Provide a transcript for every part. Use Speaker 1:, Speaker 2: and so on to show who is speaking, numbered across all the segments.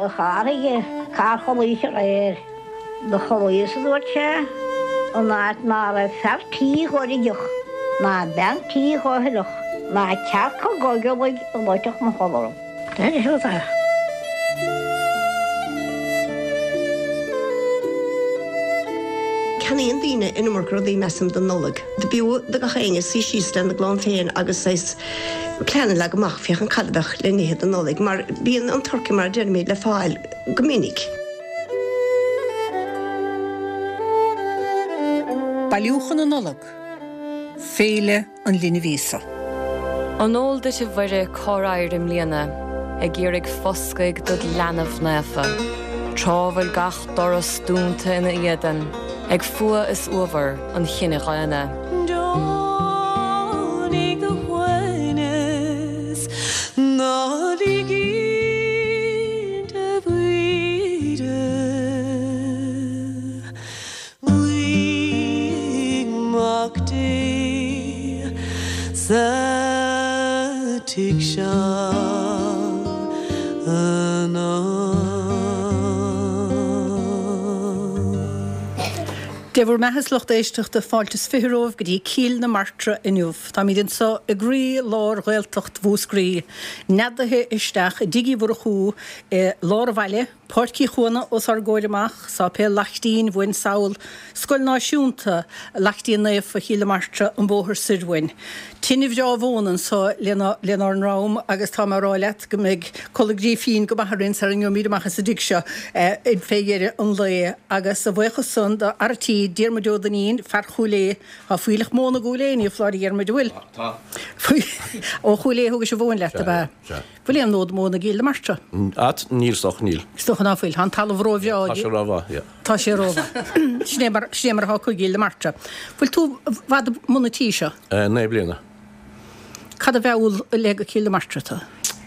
Speaker 1: a charr aige, cár chodlaís aréir. Do chodlaíos, a dúirt sé, in áit ná raibh fear tí dh'oirfeadh, ná bean tí dh'oirfeadh, ná cearca ghoigealaigh a loitfeadh mo chodladh orm. Deir siad é.
Speaker 2: Ceannaíonn daoine an iomarca rudaí, measaim, don Nollaig. Do b'fhiú do gach éinne suí síos lena gclann féin agus saghas plean a leagadh amach féachaint cad a bheadh le n-ithe don Nollaig mar bíonn an turcaí mar a deirimid le fáil go minic.
Speaker 3: Bailiúchán na Nollag, Féile an Linbh Íosa.
Speaker 4: An eol duit a Mhuire cár éirigh i mbliana ag iarraidh foscaidh dod leanbh naofa, tráth bhfuil gach doras dúnta ina éadan ag fuath is uabhar an chine dhaonna.
Speaker 5: Deonaigh do shuaimhneas, ná lig inti bríde. Guigh Mac Dé sa tigh seo anocht.
Speaker 3: Dé bhur mbeatha a lucht éisteachta, fáilte is 20 romhaibh go dtí Cill na Martra inniu. Táimid anseo i gcroí lár Ghaeltacht Mhúscraí, neadaithe isteach i dTigh Uí Mhurchú i lár an bhaile, Páirc Uí Chuana os ár gcomhair amach, Sáipéal Laichtín uainn sall, Scoil Náisiúnta Laichtín Naofa Chill na Martra an bóthar soir uainn. Tine bhreá mhóna anso lenár ndroim agus tá mé a rá leat go mbeidh codladh grífín go maith orainn sara ngeobhaimid amach as an dtigh seo fé dheireadh an lae. Agus a bhuíochas san do fhear a' tí, Diarmuid Ó Duinnín, fear Chúil Aodha, tá fuílleach móna i gCúil Aodha, ní foláir a Dhiarmuid, an bhfuil?
Speaker 6: Tá.
Speaker 3: Ó Chúil Aodha thugais an mhóin leat, ab ea?
Speaker 6: Sea.
Speaker 3: Bhfuil aon fhód móna i gCill na Martra?
Speaker 6: At, níl, is dócha, níl.
Speaker 3: Is dócha ná fuil. Tá an talamh róbhreá.
Speaker 6: Tá sé rómhaith, yeah.
Speaker 3: Tá sé rómhaith. Sin é mar, sin é mar atá acu i gCill na Martra. Bhfuil tú i bhfad i mbun an tí seo?
Speaker 6: 9 bliana.
Speaker 3: Cad a mheall le go Cill na Martra tú?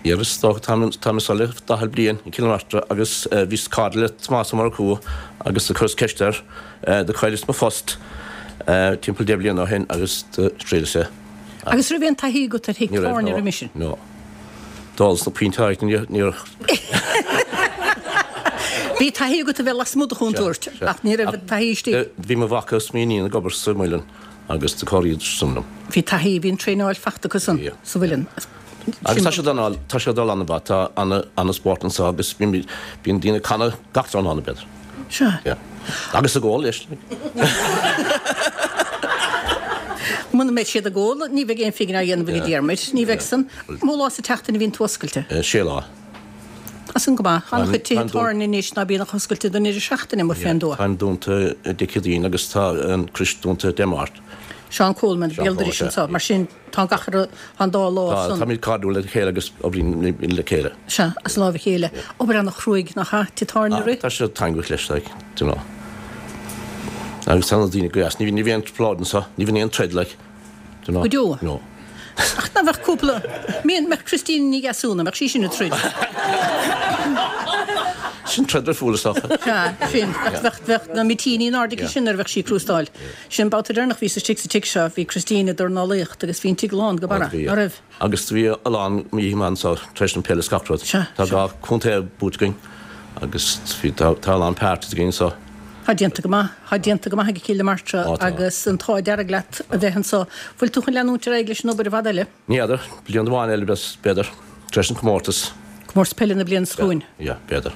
Speaker 6: Yeah, is dócha, táim, táim anseo le 40 bliain i gCill na Martra agus bhíos cairde le Tomás Ó Murchú agus do chuireas ceist air, do chailleas mo phost timpeall 10 bliana ó shin agus do thriaileas é.
Speaker 3: Agus raibh aon taithí agat ar thigh tábhairne roimis sin?
Speaker 6: No. D'ólas na piontáí, níor.
Speaker 3: Bhí taithí agat a bheith lasmuigh de chontúirt, ach ní raibh taithí istigh.
Speaker 6: Bhí mo mhac agus m'iníon ag obair sa mhuileann agus do chabhraíodar san liom.
Speaker 3: Bhí taithí, bhí an traenáil fachta acu san sa mhuileann.
Speaker 6: Agus tá sé ag tá sé ag dul an-mhaith, tá ana-spórt anseo agus bíonn daoine ag canadh gach tráthnóna, b'fhéidir.
Speaker 3: Sea.
Speaker 6: Yeah. Agus ag ól, leis.
Speaker 3: Muna mbeidh siad ag ól, ní bheidh aon phingin á dhéanamh ag Diarmuid. Ní bheidh san. Mó lá sa tseachtain a bhíonn tú oscailte?
Speaker 6: Sé lá.
Speaker 3: Tá san go maith. An-chuid tithe tábhairne anois ná bíonn ach oscailte don deireadh seachtaine, amuigh fén dtuath.
Speaker 6: Táim dúnta Dé Céadaoin agus tá an Crois dúnta Dé Máirt.
Speaker 3: Seán Coleman, béal dorais anseo. Mar sin. Tá gach ar an dá lá san.
Speaker 6: Táimid cairdiúil le chéile agus oibrímid le chéile.
Speaker 3: Sea, as láimh a chéile. Obair ana-chruaidh, nach ea? Tigh tábhairne a rith?
Speaker 6: Tá sé taitneamhach leis, like, do you know. Agus tá na daoine go deas. Ní bhíonn aon trioblóid anseo, ní bhíonn aon troid, like, do you know.
Speaker 3: Go deo?
Speaker 6: No.
Speaker 3: Ach nach mbeadh cúpla, mbeadh Christina Ní Dheasúna, mbeadh sí sin ag troid?
Speaker 6: Sin troid ar fúil is dócha.
Speaker 3: Sea, sin. Bheadh, bheadh na mitíní in airde aici sin nuair a bheadh sí ag crústáil. Sin an babhta deireanach bhíos istigh sa tigh seo, bhí Christine ag dornálaíocht agus bhí an tigh lán go barra, ná raibh?
Speaker 6: Agus bhí a lán oíche maith anseo tar éis an peil is gach rud.
Speaker 3: Sea,
Speaker 6: Tá dhá chontae buaite againn agus bhí, tá, tá a lán parties againn anseo.
Speaker 3: Tá déanta go maith, tá déanta go maith ag Cill na Martra agus an t-ádh dearg leat a bheith anseo. Bhfuil tú chun leanúint ar aghaidh leis an obair i bhfad eile?
Speaker 6: Ní fheadar, bliain amháin eile b'fhéidir, tar éis an comórtas.
Speaker 3: Comórtas peile na bliana seo chugainn.
Speaker 6: Yeah, b'fhéidir.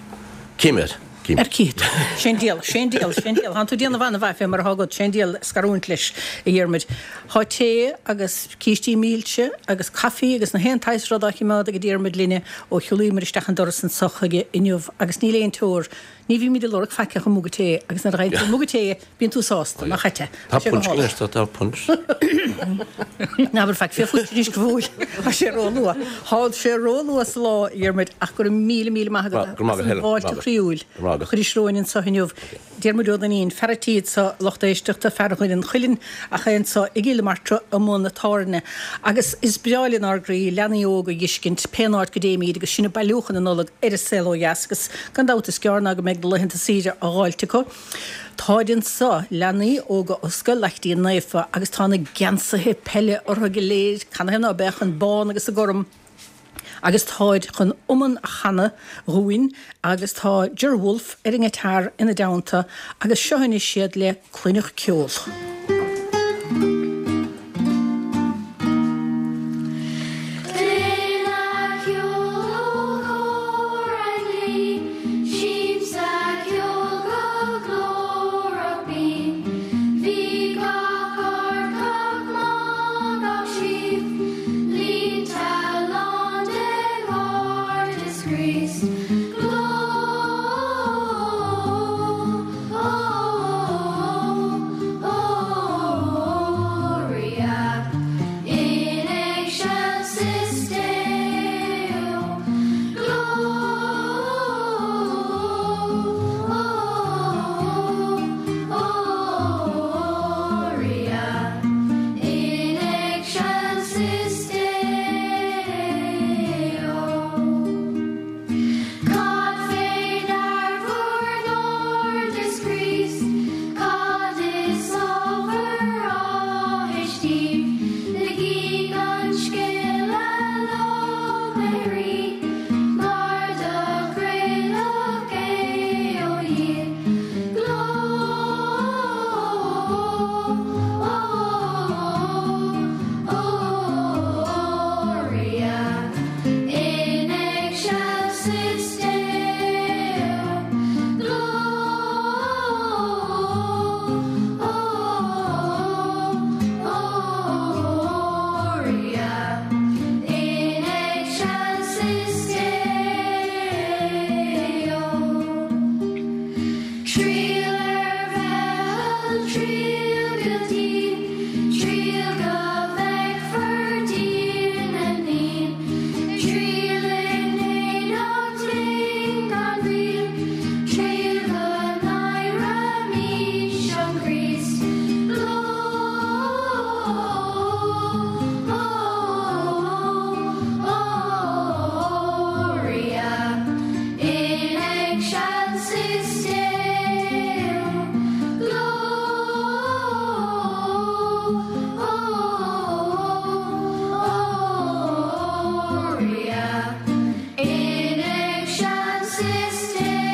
Speaker 6: Cífimid, cífimid.
Speaker 3: Ar cífidh tú. Sé'n diabhal, sé'n diabhal, sé'n diabhal. Thánn tú ag déanamh an-mhaith fé mar athá agat, sé'n diabhal scarúint leis, a Dhiarmuid. Thá tae agus cístí milse agus caife agus na haon tsaghas rud á chimeád ag Diarmuid linne ó shiúlaíomar isteach an doras anso chuige inniu agus níl aon teor, ní bhímid ag lorg faic ach an muga tae agus nuair a fhaigheann tú muga tae Bíonn tú sásta, nach ait é?
Speaker 6: Tá punch anois, tá, tá punch.
Speaker 3: Ná habair faic fé phunch anois go fóill. Tá sé ró-luath. Tá sé ró-luath sa lá, a Dhiarmuid, ach go raibh míle, míle maith agat as an bhfáilte chroíúil a chuiris romhainn anseo inniu. Diarmuid Ó Duinnín, fear a' tí anseo, lucht éisteachta, fear Dhoire an Chuilinn, ach é anseo i gCill na Martra i mbun na tábhairne. Agus is breá lenár gcroí leanaí óga a dh'fheiscint pén áit go dtéimíd agus sinn ag bailiúchán na Nollag ar an saol ó dheas agus gan dabht is gearr ná go mbeidh na laethanta saoire á dháilt acu. Táid anso, leanaí óga ó Scoil Laichtín Naofa, agus tá na geansaithe peile orthu go léir, canathaobh ná beadh, an bán agus an gorm. Agus táid chun iomann a chanadh dhúinn agus tá Ger Wolfe ar an ngiotár ina dteannta agus seo anois iad le Cluineadh Ceol.
Speaker 7: Cluineadh ceol ó chór ainglí, Siamsa ceoil go glórach binn. Bhí gach ard, gach má, gach sliabh, Líonta lán de ghairdeas Chríost. Glória in excelsis Deo. Glória in excelsis Deo. Cad fé ndear bhur ngairdeas Críost? Cad is ábhar áthais daoibh? Ligíg an scéal a lóchrann Rí, mar do craoladh é ó Dhia. Glória in excelsis Deo. Glória in excelsis Deo. Triall ar Bheithil, triall go dian, triall go bhfeicfir Dia na nDaoine, triall in éineacht linn gan mhoill, triall go n-adhraimís an Críost. Glória in excelsis Deo. Glória in excelsis Deo.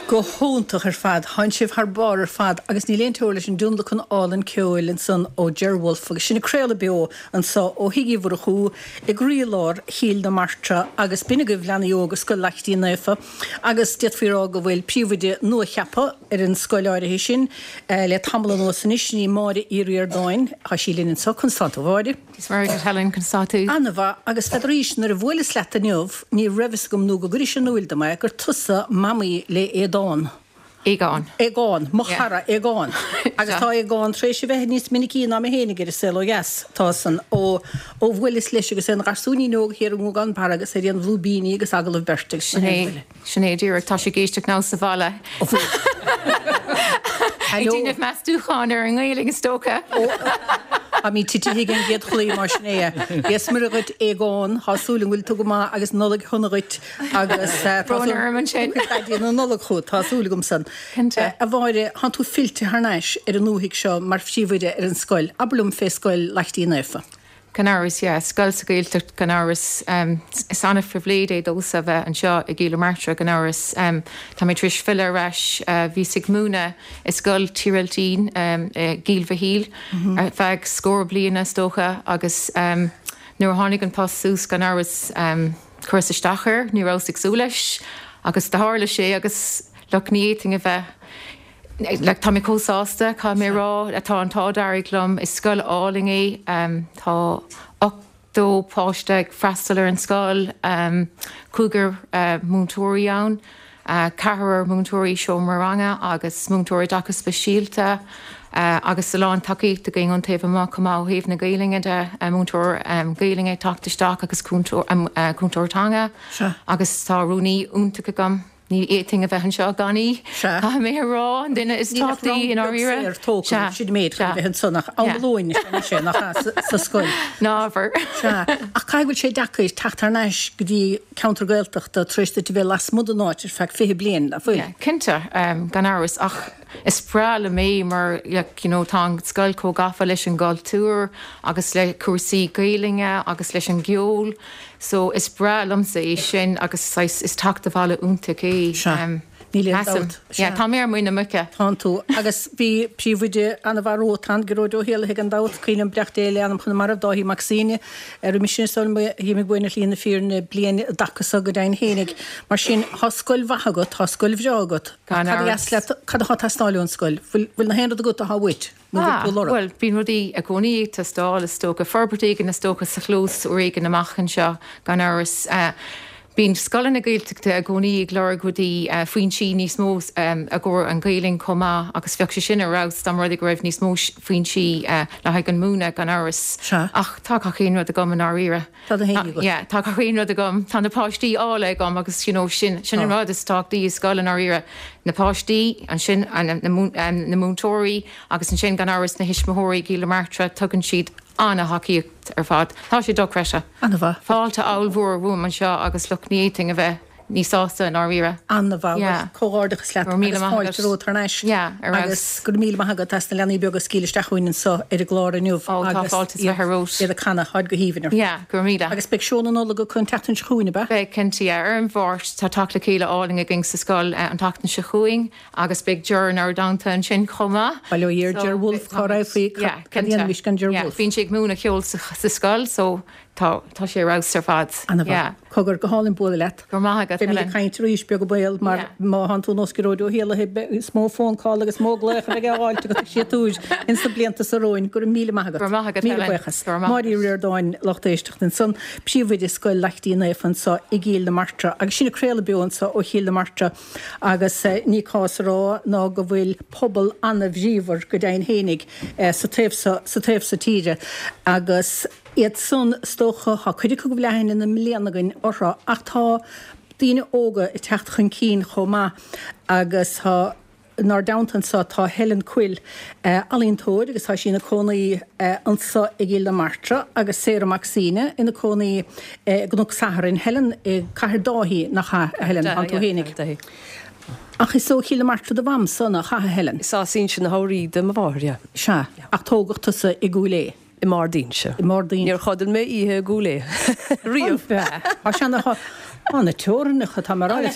Speaker 3: Go hiontach ar fad. Tánn sibh thar barr ar fad agus níl aon teora leis an dtionlacan álainn ceoil ansan ó Ger Wolfe agus sinn ag craoladh beo anso ó Thigh Uí Mhurchú i gcroílár Chill na Martra agus b'in agaibh leanaí óga Scoil Laichtín Naofa agus d'fhéadfaí a rá go bhfuil príomhoide nua-cheaptha ar an scoil áirithe sin le tamall anuas anois, sin í Máire Uí Ríordáin. Tá sí linn anso. Conas tánn tú a Mháire?
Speaker 8: Is maith agat Helen, conas tá tú?
Speaker 3: An-mhaith, agus n'fheadar nuair a bhuaileas leat inniu, ní raibh fhios agam nó go gcuiris in iúil dom é, gur tusa mamaí le Aodán.
Speaker 8: Aogán.
Speaker 3: Aogán, mo chara Aogán. Agus tá Aogán tar éis a bheith níos minicí ná mé fhéinig ar an saol ó dheas. Tá san, ó, ó bhuaileas leis agus é ina gharsúinín óg thiar i nGúgán Barra agus ar aon bhlúibíní agus agallamh beirte agus sin é an buille.
Speaker 8: Sin é díreach, tá sé ag éisteacht now sa bhaile. Ag déanamh meastúcháin ar an nGaelainn is dócha.
Speaker 3: Táimid titithe ag an gcéad chlaí mar sin é. Dia 's Muire dhuit Aogán, tá súil agam go bhfuil tú go maith agus Nollaig shona dhuit agus tá
Speaker 8: Brón orm ansin.
Speaker 3: Daidí na Nollag chugat, tá súil agam san.
Speaker 8: Cinnte.
Speaker 3: A Mháire, thánn tú fillte thar n-ais ar an ndúthaigh seo mar phríomhoide ar an scoil. Abair liom fé Scoil Laichtín Naofa.
Speaker 8: Gan amhras, yeah. Scoil sa Ghaeltacht, gan amhras. Is an-phribhléid é domhsa a bheith anseo i gCill na Martra, gan amhras. Tá mé tar éis filleadh ar ais. Bhíos ag múineadh i Scoil Tír Eiltín i gCill Mhichíl ar feadh scór bliana, is dócha, agus nuair a tháinig an post suas, gan amhras, chuireas isteach air. Ní rabhas ag súil leis agus do tharla sé agus look, ní fhéadfainn a bheith. Like, tá mé chomh sásta, caithfidh mé a rá, tá an t-ádh dearg liom, is scoil álainn é, tá 80 páiste ag freastal ar an scoil, cúigear múinteoirí ann, ceathrar múinteoirí seomra ranga agus múinteoir oideachais speisialta agus a lán tacaíocht againn ón taobh amuigh chomh maith ó thaobh na Gaelainne de, múinteoir Gaelainne ag teacht isteach agus cúntóir teanga agus tá rúnaí iontach agam. Ní fhéadfainn a bheith anseo gan í, caithfidh mé a rá, an duine is tábhachtaí i ndáiríre.
Speaker 3: Níl ach rang beag saor tógtha, sin an méid chun a bheith ansan ach am lóin is ea nach ea, sa scoil.
Speaker 8: Ná abair.
Speaker 3: Sea, ach caithfidh go bhfuil sé deacair teacht thar n-ais go dtí ceantar Gaeltachta tar éis duit a bheith lasmuigh den áit ar feadh 20 bliain, nach bhfuil?
Speaker 8: Yeah, cinnte, gan amhras, ach is breá liom é mar like you know tá an scoil chomh gafa leis an gcultúr agus le cúrsaí Gaelainne agus leis an gceol. So is breá liomsa é sin agus saghas is teacht abhaile iontach é.
Speaker 3: Sea. Níl aon dabht.
Speaker 8: Yeah, tá mé ar muin na muice.
Speaker 3: Tánn tú. Agus bhí príomhoide an-mhaith romhat ann, Gearóid Ó hÉallaithe gan dabht, cuimhin liom beannacht Dé lena anam chun na marbh, Dáithí Mac Suibhne, roimis sin is dóigh liom, bhí mé ag bualadh shlí na fírinne bliain i dtaca so go deimhin fhéinig. Mar sin, tá scoil mhaith agat, tá scoil bhreá agat.
Speaker 8: Gan
Speaker 3: Cad a
Speaker 8: amhras.
Speaker 3: dheas leat, cad atá ag teastáil ón scoil? Bhfuil, bhfuil na haon rud agat atá uait? Nó
Speaker 8: Ah,
Speaker 3: bhfuil tú ag lorg?
Speaker 8: bhuel, bíonn rudaí i gcónaí ag teastáil, is dócha. Forbairt éigin, is dócha, sa chlós uair éigin amach anseo, gan amhras. Bíonn scoileanna Gaeltachta i gcónaí ag lorg rudaí, foinsí níos mó i gcomhair an Ghaelainn chomh maith agus bheadh sé sin ar fheabhas dá mba rud é go raibh níos mó foinsí le haghaidh an múineadh, gan amhras.
Speaker 3: Sea.
Speaker 8: Ach tá gach aon rud agam i ndáiríre.
Speaker 3: Tá na haon ní agat.
Speaker 8: Yeah, tá gach aon rud agam. Tá na páistí áille agam agus you know sin, sin an rud is tábhachtaí i scoil i ndáiríre. Na páistí, ansin na múinteoirí agus ansin gan amhras na thuismitheoirí i gCill na Martra, tugann siad an-thacaíocht ar fad. Tá sé dochreidte.
Speaker 3: An-mhaith.
Speaker 8: Fáilte ollmhór romham anseo agus look ní fhéadfainn a bheith níos sásta i ndáiríre.
Speaker 3: An-mhaith. Bhuel,
Speaker 8: Yeah.
Speaker 3: comhghairdeachas leat
Speaker 8: Go raibh míle
Speaker 3: agus
Speaker 8: maith
Speaker 3: fáilte
Speaker 8: agat.
Speaker 3: romhat thar n-ais.
Speaker 8: Yeah, ar fheabhas.
Speaker 3: Agus go raibh míle maith agat as na leanaí beaga a scaoileadh isteach chugainn anseo ar an gclár inniu
Speaker 8: Ó, tá
Speaker 3: agus
Speaker 8: fáilte is
Speaker 3: iad
Speaker 8: bheith romhat.
Speaker 3: iad ag canadh, táid go haoibhinn ar fad.
Speaker 8: Yeah, go raibh míle.
Speaker 3: Agus beidh seó na Nollag acu an tseachtain seo chugainn, ab ea?
Speaker 8: Beidh, cinnte, yeah. Ar an Mháirt, tá teacht le chéile álainn againn sa scoil an tseachtain seo chugainn agus beidh Ger inár dteannta ansin chomh maith.
Speaker 3: Bail ó Dhia ar
Speaker 8: So,
Speaker 3: Ger Wolfe, cá raibh faoi,
Speaker 8: yeah,
Speaker 3: cad a
Speaker 8: cinnte.
Speaker 3: dhéanfaimis gan Ger
Speaker 8: Yeah,
Speaker 3: Wolfe?
Speaker 8: bíonn sé ag múineadh ceoil sa, sa scoil so Tá, tá sé ar fheabhas ar fad.
Speaker 3: An-mhaith.
Speaker 8: Yeah.
Speaker 3: Cogar, go hálainn bualadh leat.
Speaker 8: Go raibh maith agat,
Speaker 3: Beimid
Speaker 8: Helen.
Speaker 3: ag caint arís, beag an baol, mar
Speaker 8: Yeah.
Speaker 3: má thánn tú nós Gearóid Ó hÉallaithe, is mó phone call agus mó glaoch a bheidh á fháilt agat ag siatúir ins na blianta so romhainn. Go raibh míle maith agat.
Speaker 8: Go raibh maith agat,
Speaker 3: Míle
Speaker 8: Helen.
Speaker 3: buíochas.
Speaker 8: Go raibh maith
Speaker 3: Máire Uí
Speaker 8: agat.
Speaker 3: Ríordáin, lucht éisteachta ansan, Príomhoide Scoil Laichtín Naofa anso i gCill na Martra. Agus sinn ag craoladh beo anso ó Chill na Martra agus ní cás a rá ná go bhfuil pobal ana-bhríomhar go deimhin fhéinig sa taobh so, sa taobh so tíre agus, Iad san, is dócha, tá cuid acu go bhfuil aithne na mbliana againn orthu ach tá daoine óga ag teacht chun cinn chomh maith agus tá, inár dteannta anso tá Helen Quill, ealaíontóir agus tá sí ina cónaí anso i gCill na Martra agus Sarah Mac Suibhne ina cónaí i gCnoc Sathairn. Helen i gCathair Dáithí, nach ea, a Helen, tánn tú fhéinig. Ach is ó Chill na Martra do mham-sa, nach ea, a Helen?
Speaker 9: Is as Inse na hAbhraí do mo mháthair, yeah.
Speaker 3: Sea, ach tógadh tusa i gCúil Aodha.
Speaker 9: I mBard Inse.
Speaker 3: I mBard Inse.
Speaker 9: Níor chodail mé oíche i gCúil Aodha riamh.
Speaker 3: Tá sé ana, tá na teorainneacha, tá mé a rá leat.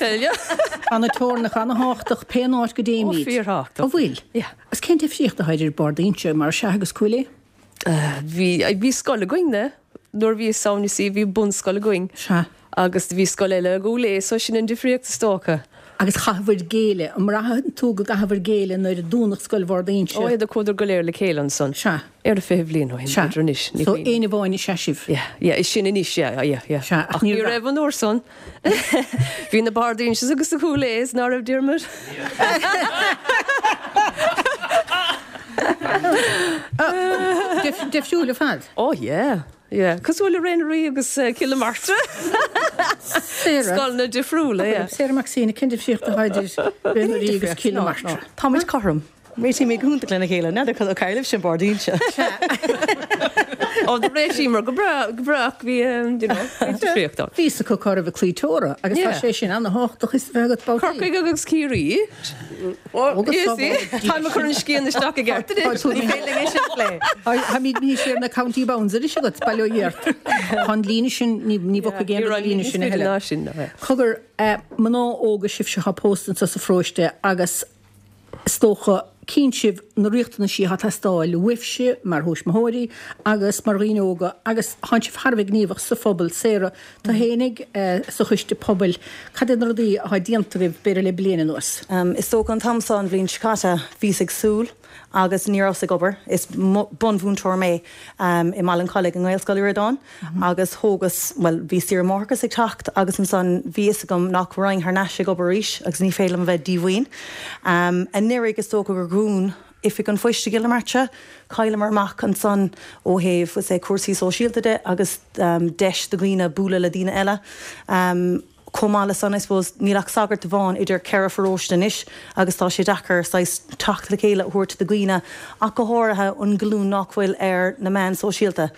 Speaker 3: Tá na teorainneacha ana-thábhachtach pé an áit go dtéimid.
Speaker 9: Ó, fíorthábhachtach.
Speaker 3: An bhfuil?
Speaker 9: Yeah.
Speaker 3: Agus cén difríocht atá idir Bard Inse, mar is ea, agus Cúil
Speaker 9: Aodha? Bhí, bhí scoil againn-ne nuair a bhíos ann, you see, bhí bunscoil againn.
Speaker 3: Sea.
Speaker 9: Agus bhí scoil eile i gCúil Aodha, so sin an difríocht is dócha.
Speaker 3: Agus chaitheabhair géilleadh, an mbraitheann tú go gcaitheabhair géilleadh nuair a dúnadh scoil Bhord Inse?
Speaker 9: Ó, do chuadar go léir le chéile ansan.
Speaker 3: Sea.
Speaker 9: Ar a 20 bhliain ó shin,
Speaker 3: Sea.
Speaker 9: b'fhéidir anois, ní
Speaker 3: So
Speaker 9: cuimhin.
Speaker 3: éinne amháin is ea sibh?
Speaker 9: Yeah, yeah, is sin anois, yeah, yeah, yeah.
Speaker 3: Sea, ach
Speaker 9: Ach
Speaker 3: ní
Speaker 9: ní
Speaker 3: raibh.
Speaker 9: raibh an uair san. Bhí na Bard Inses agus na Cúil Aodhas, ná raibh Diarmuid?
Speaker 3: Difriúil ar fad.
Speaker 9: Ó, yeah. Yeah. Cosúil le Ré na Rí agus Cill na Martra.
Speaker 3: Sarah.
Speaker 9: Scoileanna difriúla, yeah.
Speaker 3: Sarah Mac Suibhne, cén difríocht atá idir Ré na Rí agus Cill na Martra?
Speaker 10: Táimid cothrom. Réitímid go hiontach lena chéile. N'fheadar cad a tharla libhse i mBard Inse.
Speaker 9: Ó, do réitíomar go breá, go breá ach bhí, you know, bhí difríocht ann.
Speaker 3: Bhí fhios acu cá raibh an claí teora agus tá sé sin ana-thábhachtach is a bheith agat babhtaí.
Speaker 9: Corcaigh agus Ciarraí. Táim ag cur an scian isteach i gceart anois.
Speaker 10: Ní féidir linn é sin a phlé.
Speaker 3: Táimid níos ar na county bounds anois agat, bail ó Dhia ort. Tá an líne sin, ní bhogfaidh aon rud an líne sin a thuilleadh. Cogar, mná óga sibhse atá pósta anseo sa pharóiste agus is dócha, cíonn sibh na riachtanaisí atá ag teastáil uaibhse mar thuismitheoirí agus mar dhaoine óga agus tánn sibh thar a bheith gníomhach sa phobal. Sarah, Tú fhéinig sa choiste pobail, cad iad na rudaí atá déanta agaibh b'fhéidir le bliain anuas?
Speaker 10: Is dócha an t-am seo an bhliain seo caite bhíos ag súil agus ní rabhas ag obair. Is bunmhúinteoir mé i mBaile an Chollaigh i nGaelscoil Uí Ríordáin agus thógas, bhuel bhí saoire máithreachais ag teacht agus ansan bhí fhios agam nach raghainn thar n-ais ag obair arís agus ní féidir liom a bheith díomhaoin. Anuraidh is dócha gur dhún Oifig an Phoist i gCill na Martra. Chailleamar amach ansan ó thaobh, say, cúrsaí sóisialta de agus deis do dhaoine bualadh le daoine eile. Chomh maith le san, I suppose, níl ach sagart amháin idir cheithre pharóiste anois agus tá sé deacair saghas teacht le chéile a thabhairt do dhaoine ach go háirithe an ghlúin nach bhfuil ar na meáin sóisialta.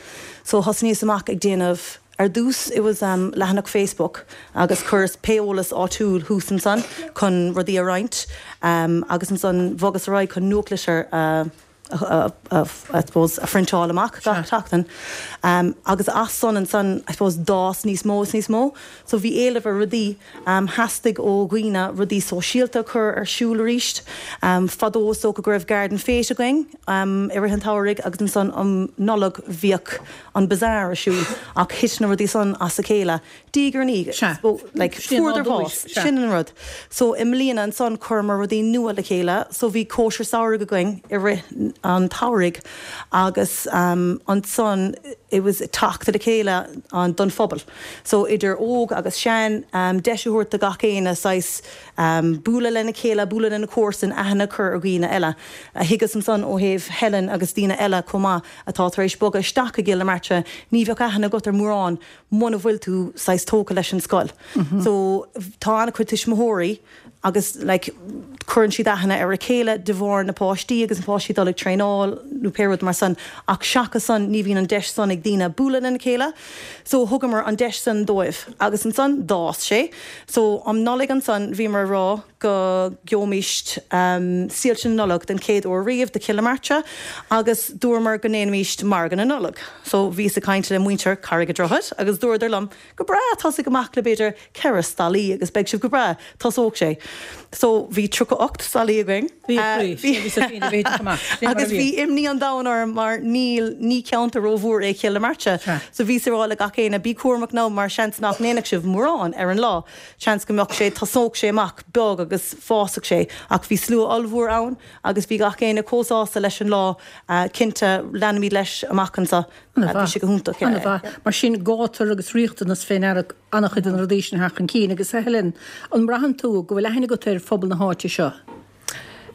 Speaker 10: So thosnaíos amach ag déanamh, ar dtús it was leathanach Facebook agus chuireas pé eolas áitiúil thuas ansan chun rudaí a roinnt agus ansan bhogas ar aghaidh chun nuachtlitir a I suppose, a phriontáil amach gach seachtain. Agus as san ansan, I suppose, d'fhás níos mó is níos mó. So bhí éileamh ar rudaí. Theastaigh ó dhaoine rudaí sóisialta a chur ar siúl arís. Fadó is dócha go raibh garden fete againn i rith an tsamhraidh agus ansan um Nollaig bhíodh an bazaar ar siúl ach thit na rudaí san as a chéile. Diaidh ar ndiaidh,
Speaker 3: Sea.
Speaker 10: like,
Speaker 3: Sin
Speaker 10: fuaireadar
Speaker 3: nádúr,
Speaker 10: bás.
Speaker 3: sea.
Speaker 10: Sin an rud. So, i mbliana ansan, chuireamar rudaí nua le chéile. So, bhí cóisir samhraidh againn i rith an tsamhraidh agus ansan it was teacht le chéile don phobal. So, idir óg agus sean, deis a thabhairt do gach éinne saghas bualadh lena chéile, bualadh lena comharsain, aithne a chur ar dhaoine eile. Thuigeas ansan ó thaobh Helen agus daoine eile chomh maith atá tar éis bogadh isteach i gCill na Martra, ní bheadh aithne agat ar mórán muna bhfuil tú saghas tógtha leis an scoil. So tá an-chuid tuismitheoirí agus like cuireann siad aithne ar a chéile de bharr na páistí agus na páistí dul ag traenáil nó pé rud mar san ach seachas san ní bhíonn an deis san ag daoine bualadh lena chéile. So thugamar an deis san dóibh agus ansan d'fhás sé. So um Nollaig ansan bhíomar ag rá go gheobhaimíst Soilse na Nollag den chéad uair riamh do Chill na Martra agus dúramar go ndéanfaimíst Margadh na Nollag. So bhíos ag caint le muintir Charraig a' Droichid agus dúradar liom go breá tosaigh amach le b'fhéidir 4 stallaí agus beidh sibh go breá, tosóidh sé. So bhí 38 stallaí againn.
Speaker 3: Bhí a chroí, bhí sa bhí bhí
Speaker 10: Agus bhí imní an domhain orm mar níl, ní ceantar rómhór é Cill na Martra. So bhíos ag rá le gach éinne bí cúramach now mar seans nach ndéanfadh sibh mórán ar an lá. Seans go mbeadh sé, tosódh sé amach beag agus fásfadh sé, ach bhí slua ollmhór ann agus bhí gach éinne chomh sásta leis an lá, cinnte, leanfaimid leis amach anseo, bhí sé go hiontach.
Speaker 3: An-mhaith. Mar sin, gátar agus riachtanas fé ndeara an-chuid de na rudaí sin a theacht chun cinn. Agus a Helen, an mbraitheann tú go bhfuil aithne agat ar phobal na háite seo?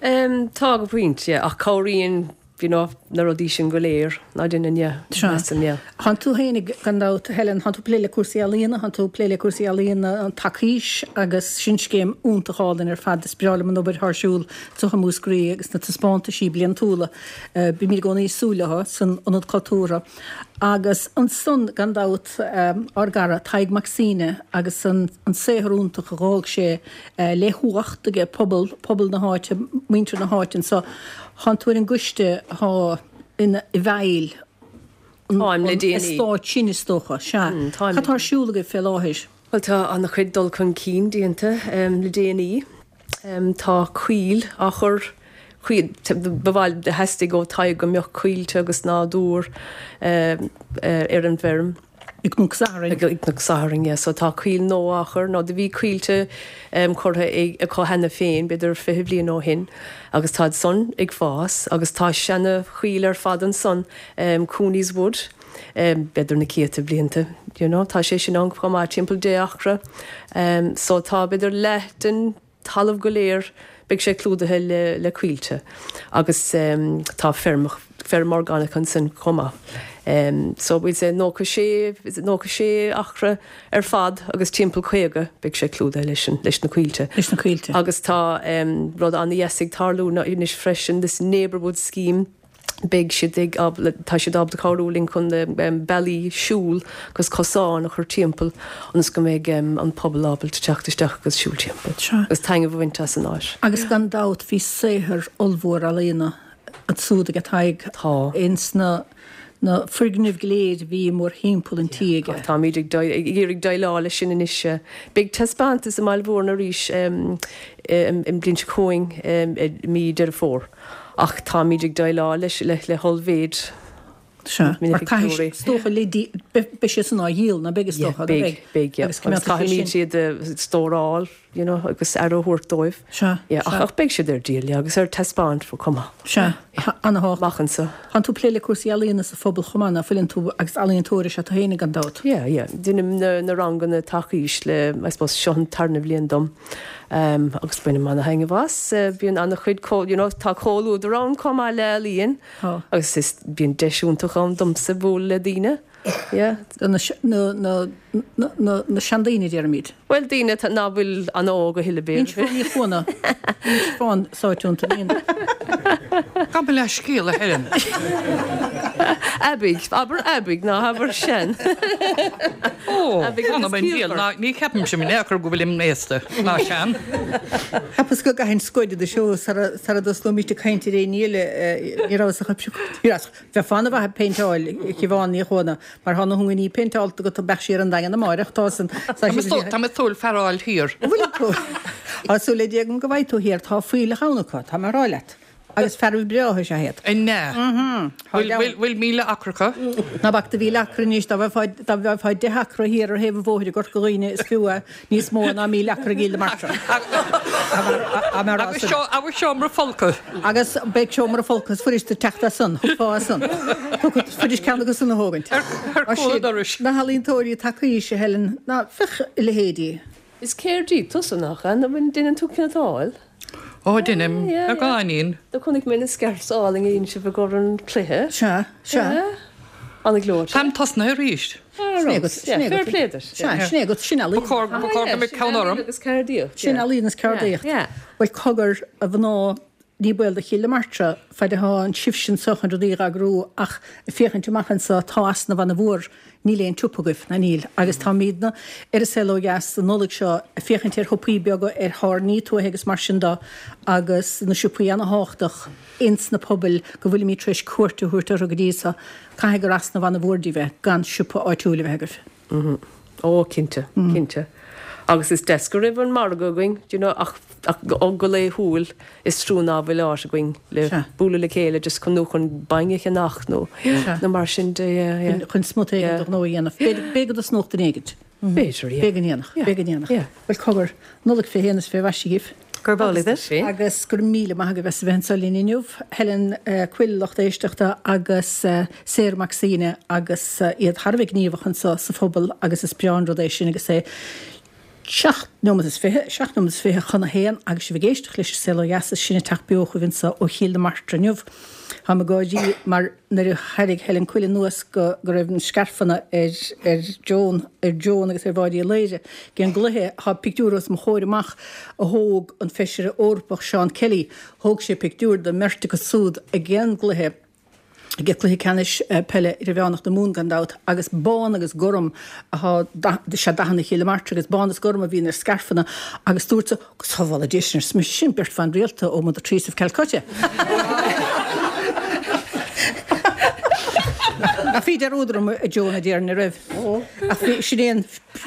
Speaker 9: Tá go pointe, yeah, ach cabhraíonn you know, na rudaí sin go léir, ná déanann, yeah, measaim, yeah.
Speaker 3: Thánn tú fhéinig, gan dabht, Helen, thánn tú ag plé le cúrsaí ealaíona, thánn tú ag plé le cúrsaí ealaíona an Tacís agus sin scéim iontach álainn ar fad, is breá liom an obair atá ar siúl anseo i Múscraí agus na taispeántaisí bliantúla, bímid i gcónaí ag súil leo san Ionad Cultúrtha. Agus ansan, gan dabht, ár gcara Tadhg Mac Suibhne agus an saothar iontach a dh'fhág sé le huacht aige pobal, pobal na háite, muintir na háite anso. Thánn tú ar an gcoiste athá ina i bhfeighil an
Speaker 9: Táim le déanaí.
Speaker 3: eastáit sin is dócha. Sea.
Speaker 9: Táim.
Speaker 3: Cad tá ar siúl agaibh fé láthair?
Speaker 9: Bhuel tá an-chuid dul chun cinn déanta le déanaí. Tá coill á chur, coill, ba mhaith, theastaigh ó Tadhg go mbeadh coillte agus nádúr ar an bhfeirm.
Speaker 3: I gCnoc Sathairn.
Speaker 9: I gCnoc Sathairn, yeah. So tá coill nua á chur, nó do bhí coillte curtha acu cheana féin, b'fhéidir 20 bliain ó shin, agus táid san ag fás, agus tá seana choill ar fad ansan, Cooney's Wood, b'fhéidir na céadta blianta, you know, tá sé sin ann chomh maith, timpeall 10 acra. So tá b'fhéidir leath den talamh go léir, beidh sé clúdaithe le le coillte agus tá feirm feirm orgánach ansin chomh maith. So we'd say 96 96 acra ar fad agus timpeall 50 beidh sé clúdaithe leis an leis na coillte.
Speaker 3: Leis na coillte.
Speaker 9: Agus tá rud an-dheas ag tarlú anois freisin, this neighbourwood scheme, beidh siad ag, tá siad ábalta cabhrú linn chun bealaí siúil agus cosáin a chur timpeall ionas go mbeidh an pobal ábalta teacht isteach agus siúl timpeall agus taitneamh a bhaint as an áit.
Speaker 3: Agus gan dabht bhí saothar ollmhór ealaíona ansúd aige Tadhg.
Speaker 9: Tá.
Speaker 3: Ins na na foirgnimh go léir a bhí mórthimpeall an tí aige.
Speaker 9: Táimid ag iarraidh déileáil leis sin anois. Beidh taispeántas i mBaile Mhúirne arís an bhliain seo chugainn i mí Deireadh Fómhair. Ach táimid ag déileáil leis le hollmhéid
Speaker 3: Sea,
Speaker 9: na
Speaker 3: mar caithfidh
Speaker 9: pictiúirí.
Speaker 3: is dócha le dí, beidh siad san á dhíol, ná beidh is
Speaker 9: Yeah,
Speaker 3: dócha, ná
Speaker 9: beidh,
Speaker 3: beidh?
Speaker 9: beidh, yeah.
Speaker 3: Agus
Speaker 9: Agus
Speaker 3: coimeádfaidh sé
Speaker 9: caithfimid
Speaker 3: sin.
Speaker 9: iad a stóráil, you know, agus aire a thabhairt dóibh.
Speaker 3: Sea,
Speaker 9: Yeah, ach,
Speaker 3: sea.
Speaker 9: ach beidh siad ar díol, yeah, agus ar taispeáint chomh maith.
Speaker 3: Sea, ana-thábhachtach.
Speaker 9: Amach anseo.
Speaker 3: Tánn tú ag plé le cúrsaí ealaíona sa phobal chomh maith, ná fuileann tú, agus ealaíontóir is ea tú féinig gan dabht.
Speaker 9: Yeah, yeah. Deinim na, na ranganna tacís le, I suppose, seo an tarna bhliain dom. Agus bainim ana-thaitneamh as. Bíonn ana-chuid, you know, tá comhluadar ann chomh maith le ealaíon.
Speaker 3: Tá.
Speaker 9: Agus is, bíonn deis iontach ann domsa bualadh le daoine. Yeah.
Speaker 3: Do na na na na seandaoine, déarfaimid.
Speaker 9: Bhuel, daoine atá ná fuil an-óg a thuilleadh,
Speaker 3: Bíonn
Speaker 9: b'fhéidir.
Speaker 3: Siobhán Ní Chuana, bíonn Siobhán sáite iontu, bíonn.
Speaker 11: Gabh mo leithscéal, a Helen.
Speaker 9: Aibigh, abair aibigh, ná habair sean.
Speaker 11: Ó,
Speaker 9: Aibigh
Speaker 11: an
Speaker 9: agus
Speaker 11: an diabhal,
Speaker 9: ciallmhar.
Speaker 11: ná ní cheapaimse in aon chor go bhfuilim aosta, ná sean.
Speaker 3: Cheapas go gcaithfinn scuaine de seó sara sara dtosnóimid ag caint ar aon ní eile, ní rabhas ach ag piocadh, ní rabhas. Bheifeá ana mhaith ag péinteáil, a Shiobhán Ní Chuana, mar thá na hungainí péinteálta agat, beadh sí ar an Daingean amáireach, tá san,
Speaker 11: Tá mé ag súil fear a fháil thiar.
Speaker 3: An bhfuil tú? Tá súil le Dia agam go bhfaighidh tú thiar, tá fuílleach ann acu, tá mé a rá leat. Agus fearaibh breátha is ea iad.
Speaker 11: An ea? Bhfuil 1,000 acra acu?
Speaker 3: Ná bac do 1,000 acra anois, dá bhfaighfeá, dá bhfaighfeá deich acra thiar ar thaobh an bhóthair i gCorca Dhuibhne is fiú é níos mó ná 1,000 acra i gCill na Martra.
Speaker 11: Agus seomra folctha.
Speaker 3: Agus beidh seomra folctha is fuirist duit teacht as san, thiocfá as san. Thiocfadh, is fuirist ceann acu san a thógaint.
Speaker 11: Ar chúl an dorais.
Speaker 3: Na healaíontóirí tacaís, a Helen, ná féach a leithéidí.
Speaker 9: Is ceardaí tusa, nach ea? Nó an ndeineann tú cniotáil?
Speaker 11: Ó, deinim, beagáinín.
Speaker 9: Do chonaic mé na scairfs álainn a dhein sibh i gcomhair an cluiche.
Speaker 3: Sea, sea.
Speaker 9: Ana-ghleoite.
Speaker 11: Táim tosnaithe arís.
Speaker 3: Sin é agat, sin é agat.
Speaker 9: Fair play duit.
Speaker 3: Sea, sin é agat, sin ealaín.
Speaker 11: Ba chóir, ba chóir go mbeadh ceann orm.
Speaker 9: Agus ceardaíocht.
Speaker 3: Sin ealaín is ceardaíocht. Bhuel, cogar, a mhná, ní baol do Chill na Martra, faid atá sibhse anso chun rudaí a dh'eagrú ach ag féachaint amach anso tá easnamh ana-mhór, níl aon tsiopa agaibh, ná níl, agus táimídne ar An Saol Ó Dheas an Nollaig seo ag féachaint ar shiopaí beaga, ar thábhairní tuaithe agus mar sin de agus na siopaí ana-thábhachtach ins na pobail go bhfuilimíd tar éis cuairt a thabhairt orthu go dtí so. Caithfidh gur easnamh ana-mhór daoibh é gan siopa áitiúil a bheith
Speaker 9: agaibh. Ó, cinnte, cinnte. Agus is deas go raibh an margadh againn, do you know, ach, ach go laethúil is trua ná fuil áit againn le bualadh le chéile just chun, nó chun bainne a cheannach nó, nó mar sin de, yeah, yeah.
Speaker 3: Chun smut éigin de ghnó a dhéanamh. B'fhéidir go dtosnódh duine éigint.
Speaker 9: B'fhéidir, yeah.
Speaker 3: B'fhéidir go ndéanfadh, b'fhéidir go ndéanfadh.
Speaker 9: Yeah.
Speaker 3: Bhuel, cogar, Nollaig fé shéan is fé mhaise dhaoibh.
Speaker 10: Gurb amhlaidh duit.
Speaker 3: Agus go raibh míle maith agaibh as a bheith anseo linn inniu, Helen Coyle, lucht éisteachta, agus Sarah Mac Suibhne agus iad thar a bheith gníomhach anseo sa phobal agus is breá an rud é sin agus é seacht nóiméad is fiche, seacht nóiméad is fiche chun a haon agus sibh ag éisteacht leis an Saol Ó Dheas is sinn ag teacht beo chugaibh anseo ó Chill na Martra inniu. Táim ag gáirí mar nuair a thairrig Helen Coyle anuas go go raibh na scairfeanna ar ar Joan ar Joan agus ar Mháire Uí Laoire ag an gcluiche, tá pictiúr os mo chomhair amach a thóg an Feisire Eorpach Seán Kelly, thóg sé pictiúr den mbeirt acu súd ag an gcluiche, ag cluiche ceannais peile idirmheánach na Mumhan gan dabht, agus bán agus gorm atá, is ea dathanna Chill na Martra agus bán is gorm a bhíonn ar scairfeanna agus dúirt Go sábhála Dia sinn, arsa mise, sin beirt bhan rialta ó Mother Teresa of Calcutta. Ach bhí dearúd orm a Joan a déarfainn a raibh. Ach bhí, sin é an,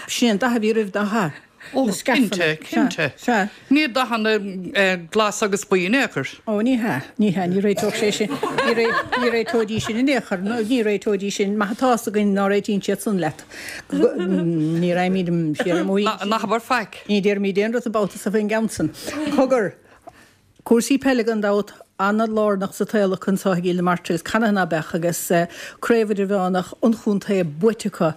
Speaker 3: sin é an dath a bhí roimh nach ea?
Speaker 11: Ó,
Speaker 3: Na scairfeanna.
Speaker 11: cinnte, cinnte.
Speaker 3: Sea.
Speaker 11: Ní dathanna glas agus buí in aon chor.
Speaker 3: Ó, ní hea, ní hea, ní réiteodh sé sin, ní ré, ní réiteoidís sin in aon chor, ní réiteoidís sin, maith atá fhios againn ná réitíonn siad san leat. Ní raghaimid siar amuigh.
Speaker 11: Ná habair faic.
Speaker 3: Ní déarfaimid aon rud an babhta so faoin gceann san. Cogar, cúrsaí peile gan dabht, ana-lárnach sa tsaol acu anso i gCill na Martra agus canathaobh ná beadh agus Craobh Idirmheánach an Chontae buaite acu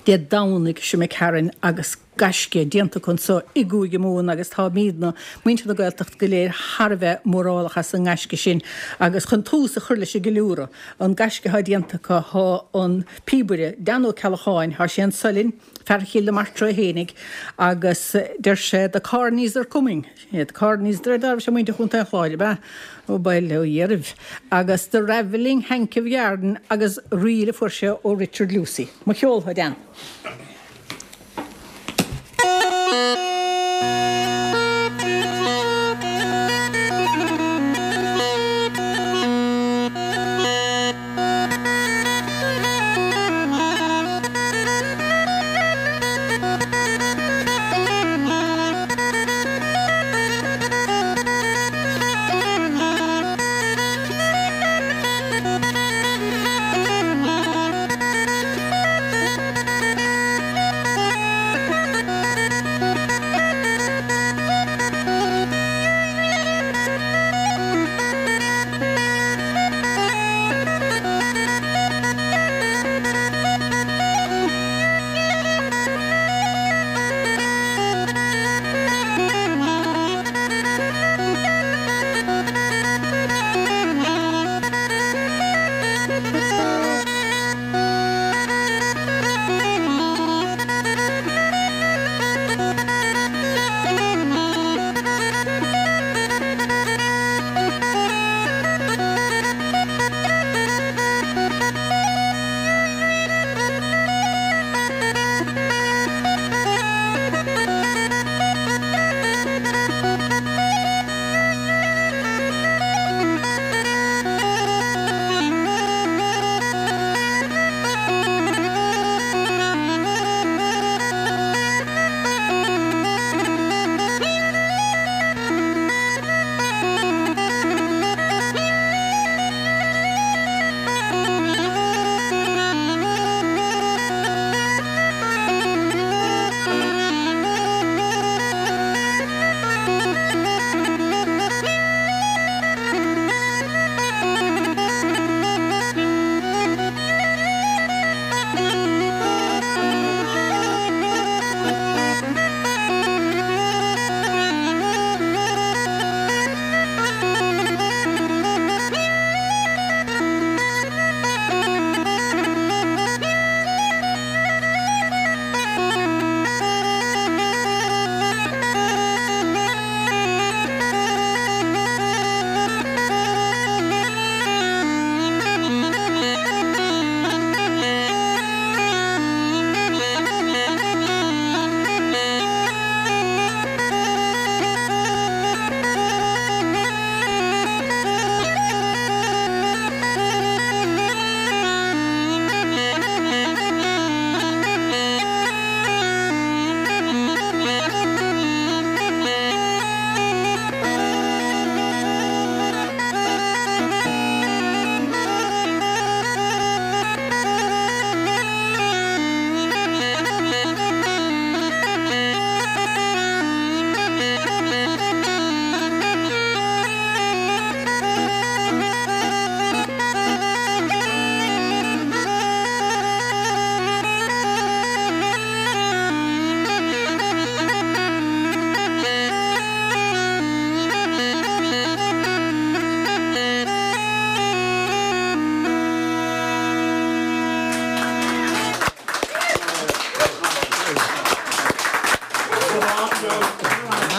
Speaker 3: Dé Domhnaigh seo imigh tharainn agus gaisce déanta acu anso i gCúige Mumhan agus táimídne, muintir na Gaeltachta go léir thar a bheith mórálach as an ngaisce sin agus chun tús a chur leis an gceiliúradh, an gaisce atá déanta acu, thá an píobaire, Dan Ó Ceallacháin, thá sé anso linn, fear Chill na Martra é fhéinig agus deir sé the Corneys are coming, the Corneys, de réir dealraimh sé muintir Chontae an Chláir, ab ea? Ó bail ó Dhia oraibh. Agus the ravelling hank of yarn agus ríl a fuair sé ó Richard Lucey. Mo cheol, a Dan.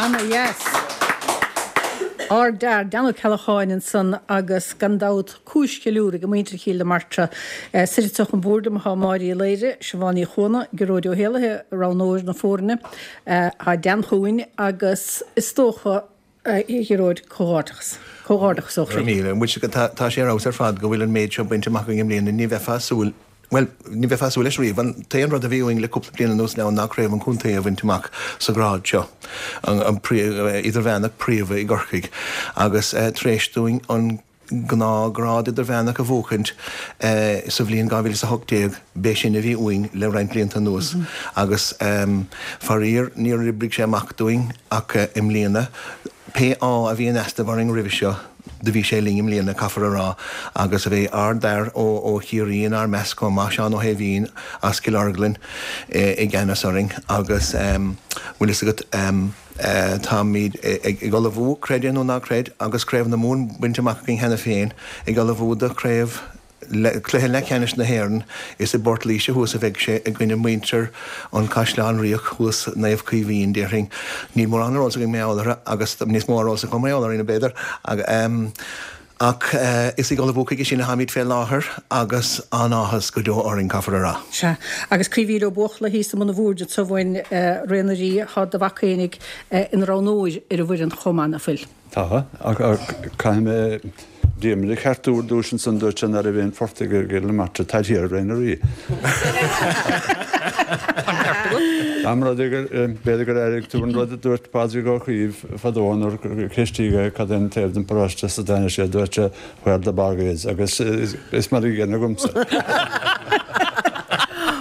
Speaker 3: Ana dheas. Ár d'fhear, Dan Ó Ceallacháin ansan agus gan dabht cúis cheiliúraidh ag muintir Chill na Martra. Suite anseo chun boird liom atá Máire Uí Laoire, Siobhán Ní Chuana, Gearóid Ó hÉallaithe, roghnóir na foirne. Tá Dan chugainn agus is dócha, a Ghearóid, comhghairdeachas. Comhghairdeachas ó
Speaker 12: chroí. Go raibh míle. Tá sé ar fheabhas ar fad go bhfuil an méid seo bainte amach againn i mbliana. Ní bheifeá ag súil. Bhuel, ní bheifeá ag súil leis riamh. An t-aon rud a bhí uainn le cúpla bliain anuas now ná craobh an chontae a bhaint amach sa ghrád seo, an idirmheánach príomha i gCorcaigh, agus tar éis dúinn an gnáthghrád idirmheánach a bhuachaint sa bhliain 2018, b'é sin a bhí uainn le roinnt blianta anuas. Agus faraor, níor oibrigh sé amach dúinn ach i mbliana, pé ádh a bhí in easnamh orainn roimhe seo, Do bhí sé linn i mbliana, caithfear a rá, agus a bheidh ár d'fhear ó Chiarraí inár measc chomh maith, Seán Ó hAoibhín as Cill Orglan i gceannas orainn agus bhfuil fhios agat, táimid ag ullmhú, creid é nó ná creid, agus Craobh na Mumhan bainte amach againn cheana féin, ag ullmhú do chraobh Cluiche leathcheannais na hÉireann, is i bPort Laoise thuas a bheidh sé i gcoinne muintir an Chaisleáin Ríocht thuas, Naomh Caoimhín, déarfainn. Níl mórán ar eolas againn mar gheall orthu agus níos mó ar eolas acu mar gheall orainn, b'fhéidir. Ach is ag ullmhú chuige sin atáimid fé láthair agus an-áthas go deo orainn, caithfear a rá.
Speaker 3: Sea, agus Caoimhín Ó Buachalla thíos i mbun an bhoird anseo uainn, Ré na Rí, tá do mhac fhéinig ina roghnóir ar an bhfoireann chomh maith, ná fuil?
Speaker 13: Tá, ach caithfidh mé Diarmuid a cheartú ar dtús ansan, dúirt sé ná raibh aon phortaigh i gCill na Martra, táid thiar i Ré na Rí. An rud é gur, b'fhéidir gur airigh tú an rud a dúirt Pádraig Ó Caoimh fadó nuair a ceistíodh é cad é an taobh den pharóiste as a dtáinig sé, dúirt sé where the bog is agus is mar an gcéanna agamsa.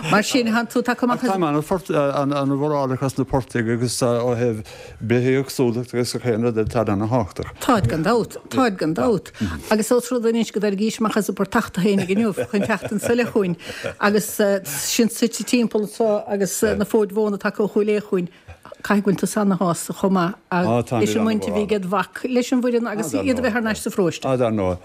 Speaker 3: Mar sin, thánn tú tagtha amach as.
Speaker 13: Ach tá an-mhórálach as na portaigh agus ó thaobh Bithéagsúlacht agus gach aon rud atá ana-thábhachtach.
Speaker 3: Táid gan dabht, táid gan dabht. Agus ós rud é anois go dtairgís amach as an bportach tú fhéinig inniu chun teacht anso le chugainn agus sinn suite timpeall anso agus na fóid mhóna tagtha ó Chúil Aodha chugainn, caithfidh go bhfuil tusa ana-shásta chomh maith leis an mbaint a bhí ag do mhac leis an bhfoireann agus iad a bheith thar n-ais sa pharóiste.
Speaker 13: Á, dar ndóigh.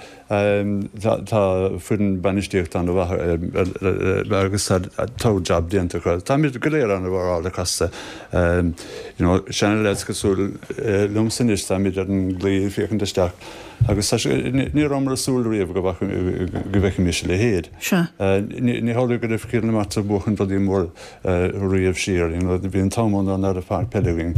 Speaker 13: Tá foireann bainistíochta an-mhaith agus tá togha jab déanta acu. Táimid go léir an-mhórálach astu. You know, seana-leaids cosúil liomsa anois, táimid ar an gclaí ag féachaint isteach agus tá sé, ní rabhamar ag súil riamh go bhfeicfimis a leithéid. Ní hamhlaidh go raibh Cill na Martra ag buachan rudaí móra riamh siar, you know, bhí an t-am ann nuair ná raibh páirc peile againn.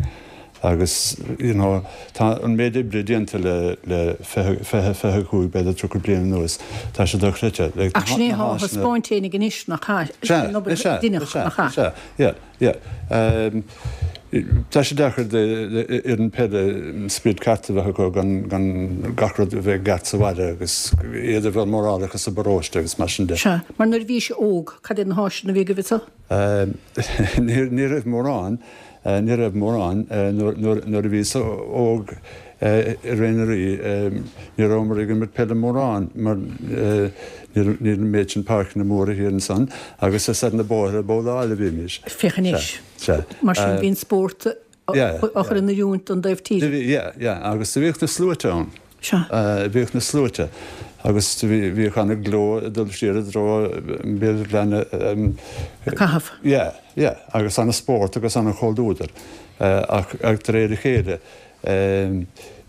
Speaker 13: Agus, you know, tá an méid oibre déanta le, le 20, 25, b'fhéidir 30 bliain anuas, tá sé dochreidte.
Speaker 3: Like, Ach sin é atá á thaispeáint fhéinig anois, nach ea? Sin an obair a deineadh, nach
Speaker 13: ea? Sea, yeah, yeah. Um, tá sé deacair d'fhoireann peile an spiorad ceart a bheith acu gan, gan gach rud a bheith i gceart sa bhaile agus iad a bheith mórálach as an bparóiste agus mar sin de.
Speaker 3: Sea, mar nuair a bhís óg, cad iad na háiseanna a bhí agaibh anso?
Speaker 13: Um, ní, ní raibh mórán. Ní raibh mórán. Nuair a bhíos óg i Ré na Rí, ní rabhamar ag imirt peile mórán mar ní raibh an méid sin páirceanna móra thiar ansan agus is ar na bóithre ag babhláil a bhímis.
Speaker 3: Féach anois. Mar sin bhí an spórt á chur in oiriúint don dtaobh tíre.
Speaker 13: Yeah, yeah, agus do bhíodh na sluaite ann.
Speaker 3: Sea.
Speaker 13: Bhíodh na sluaite agus bhíodh ana-ghleo ag dul siar i dtreo Bhéal Ghleanna.
Speaker 3: Ag caitheamh.
Speaker 13: Yeah, yeah, agus ana-spórt agus ana-chomhluadar ach de réir a chéile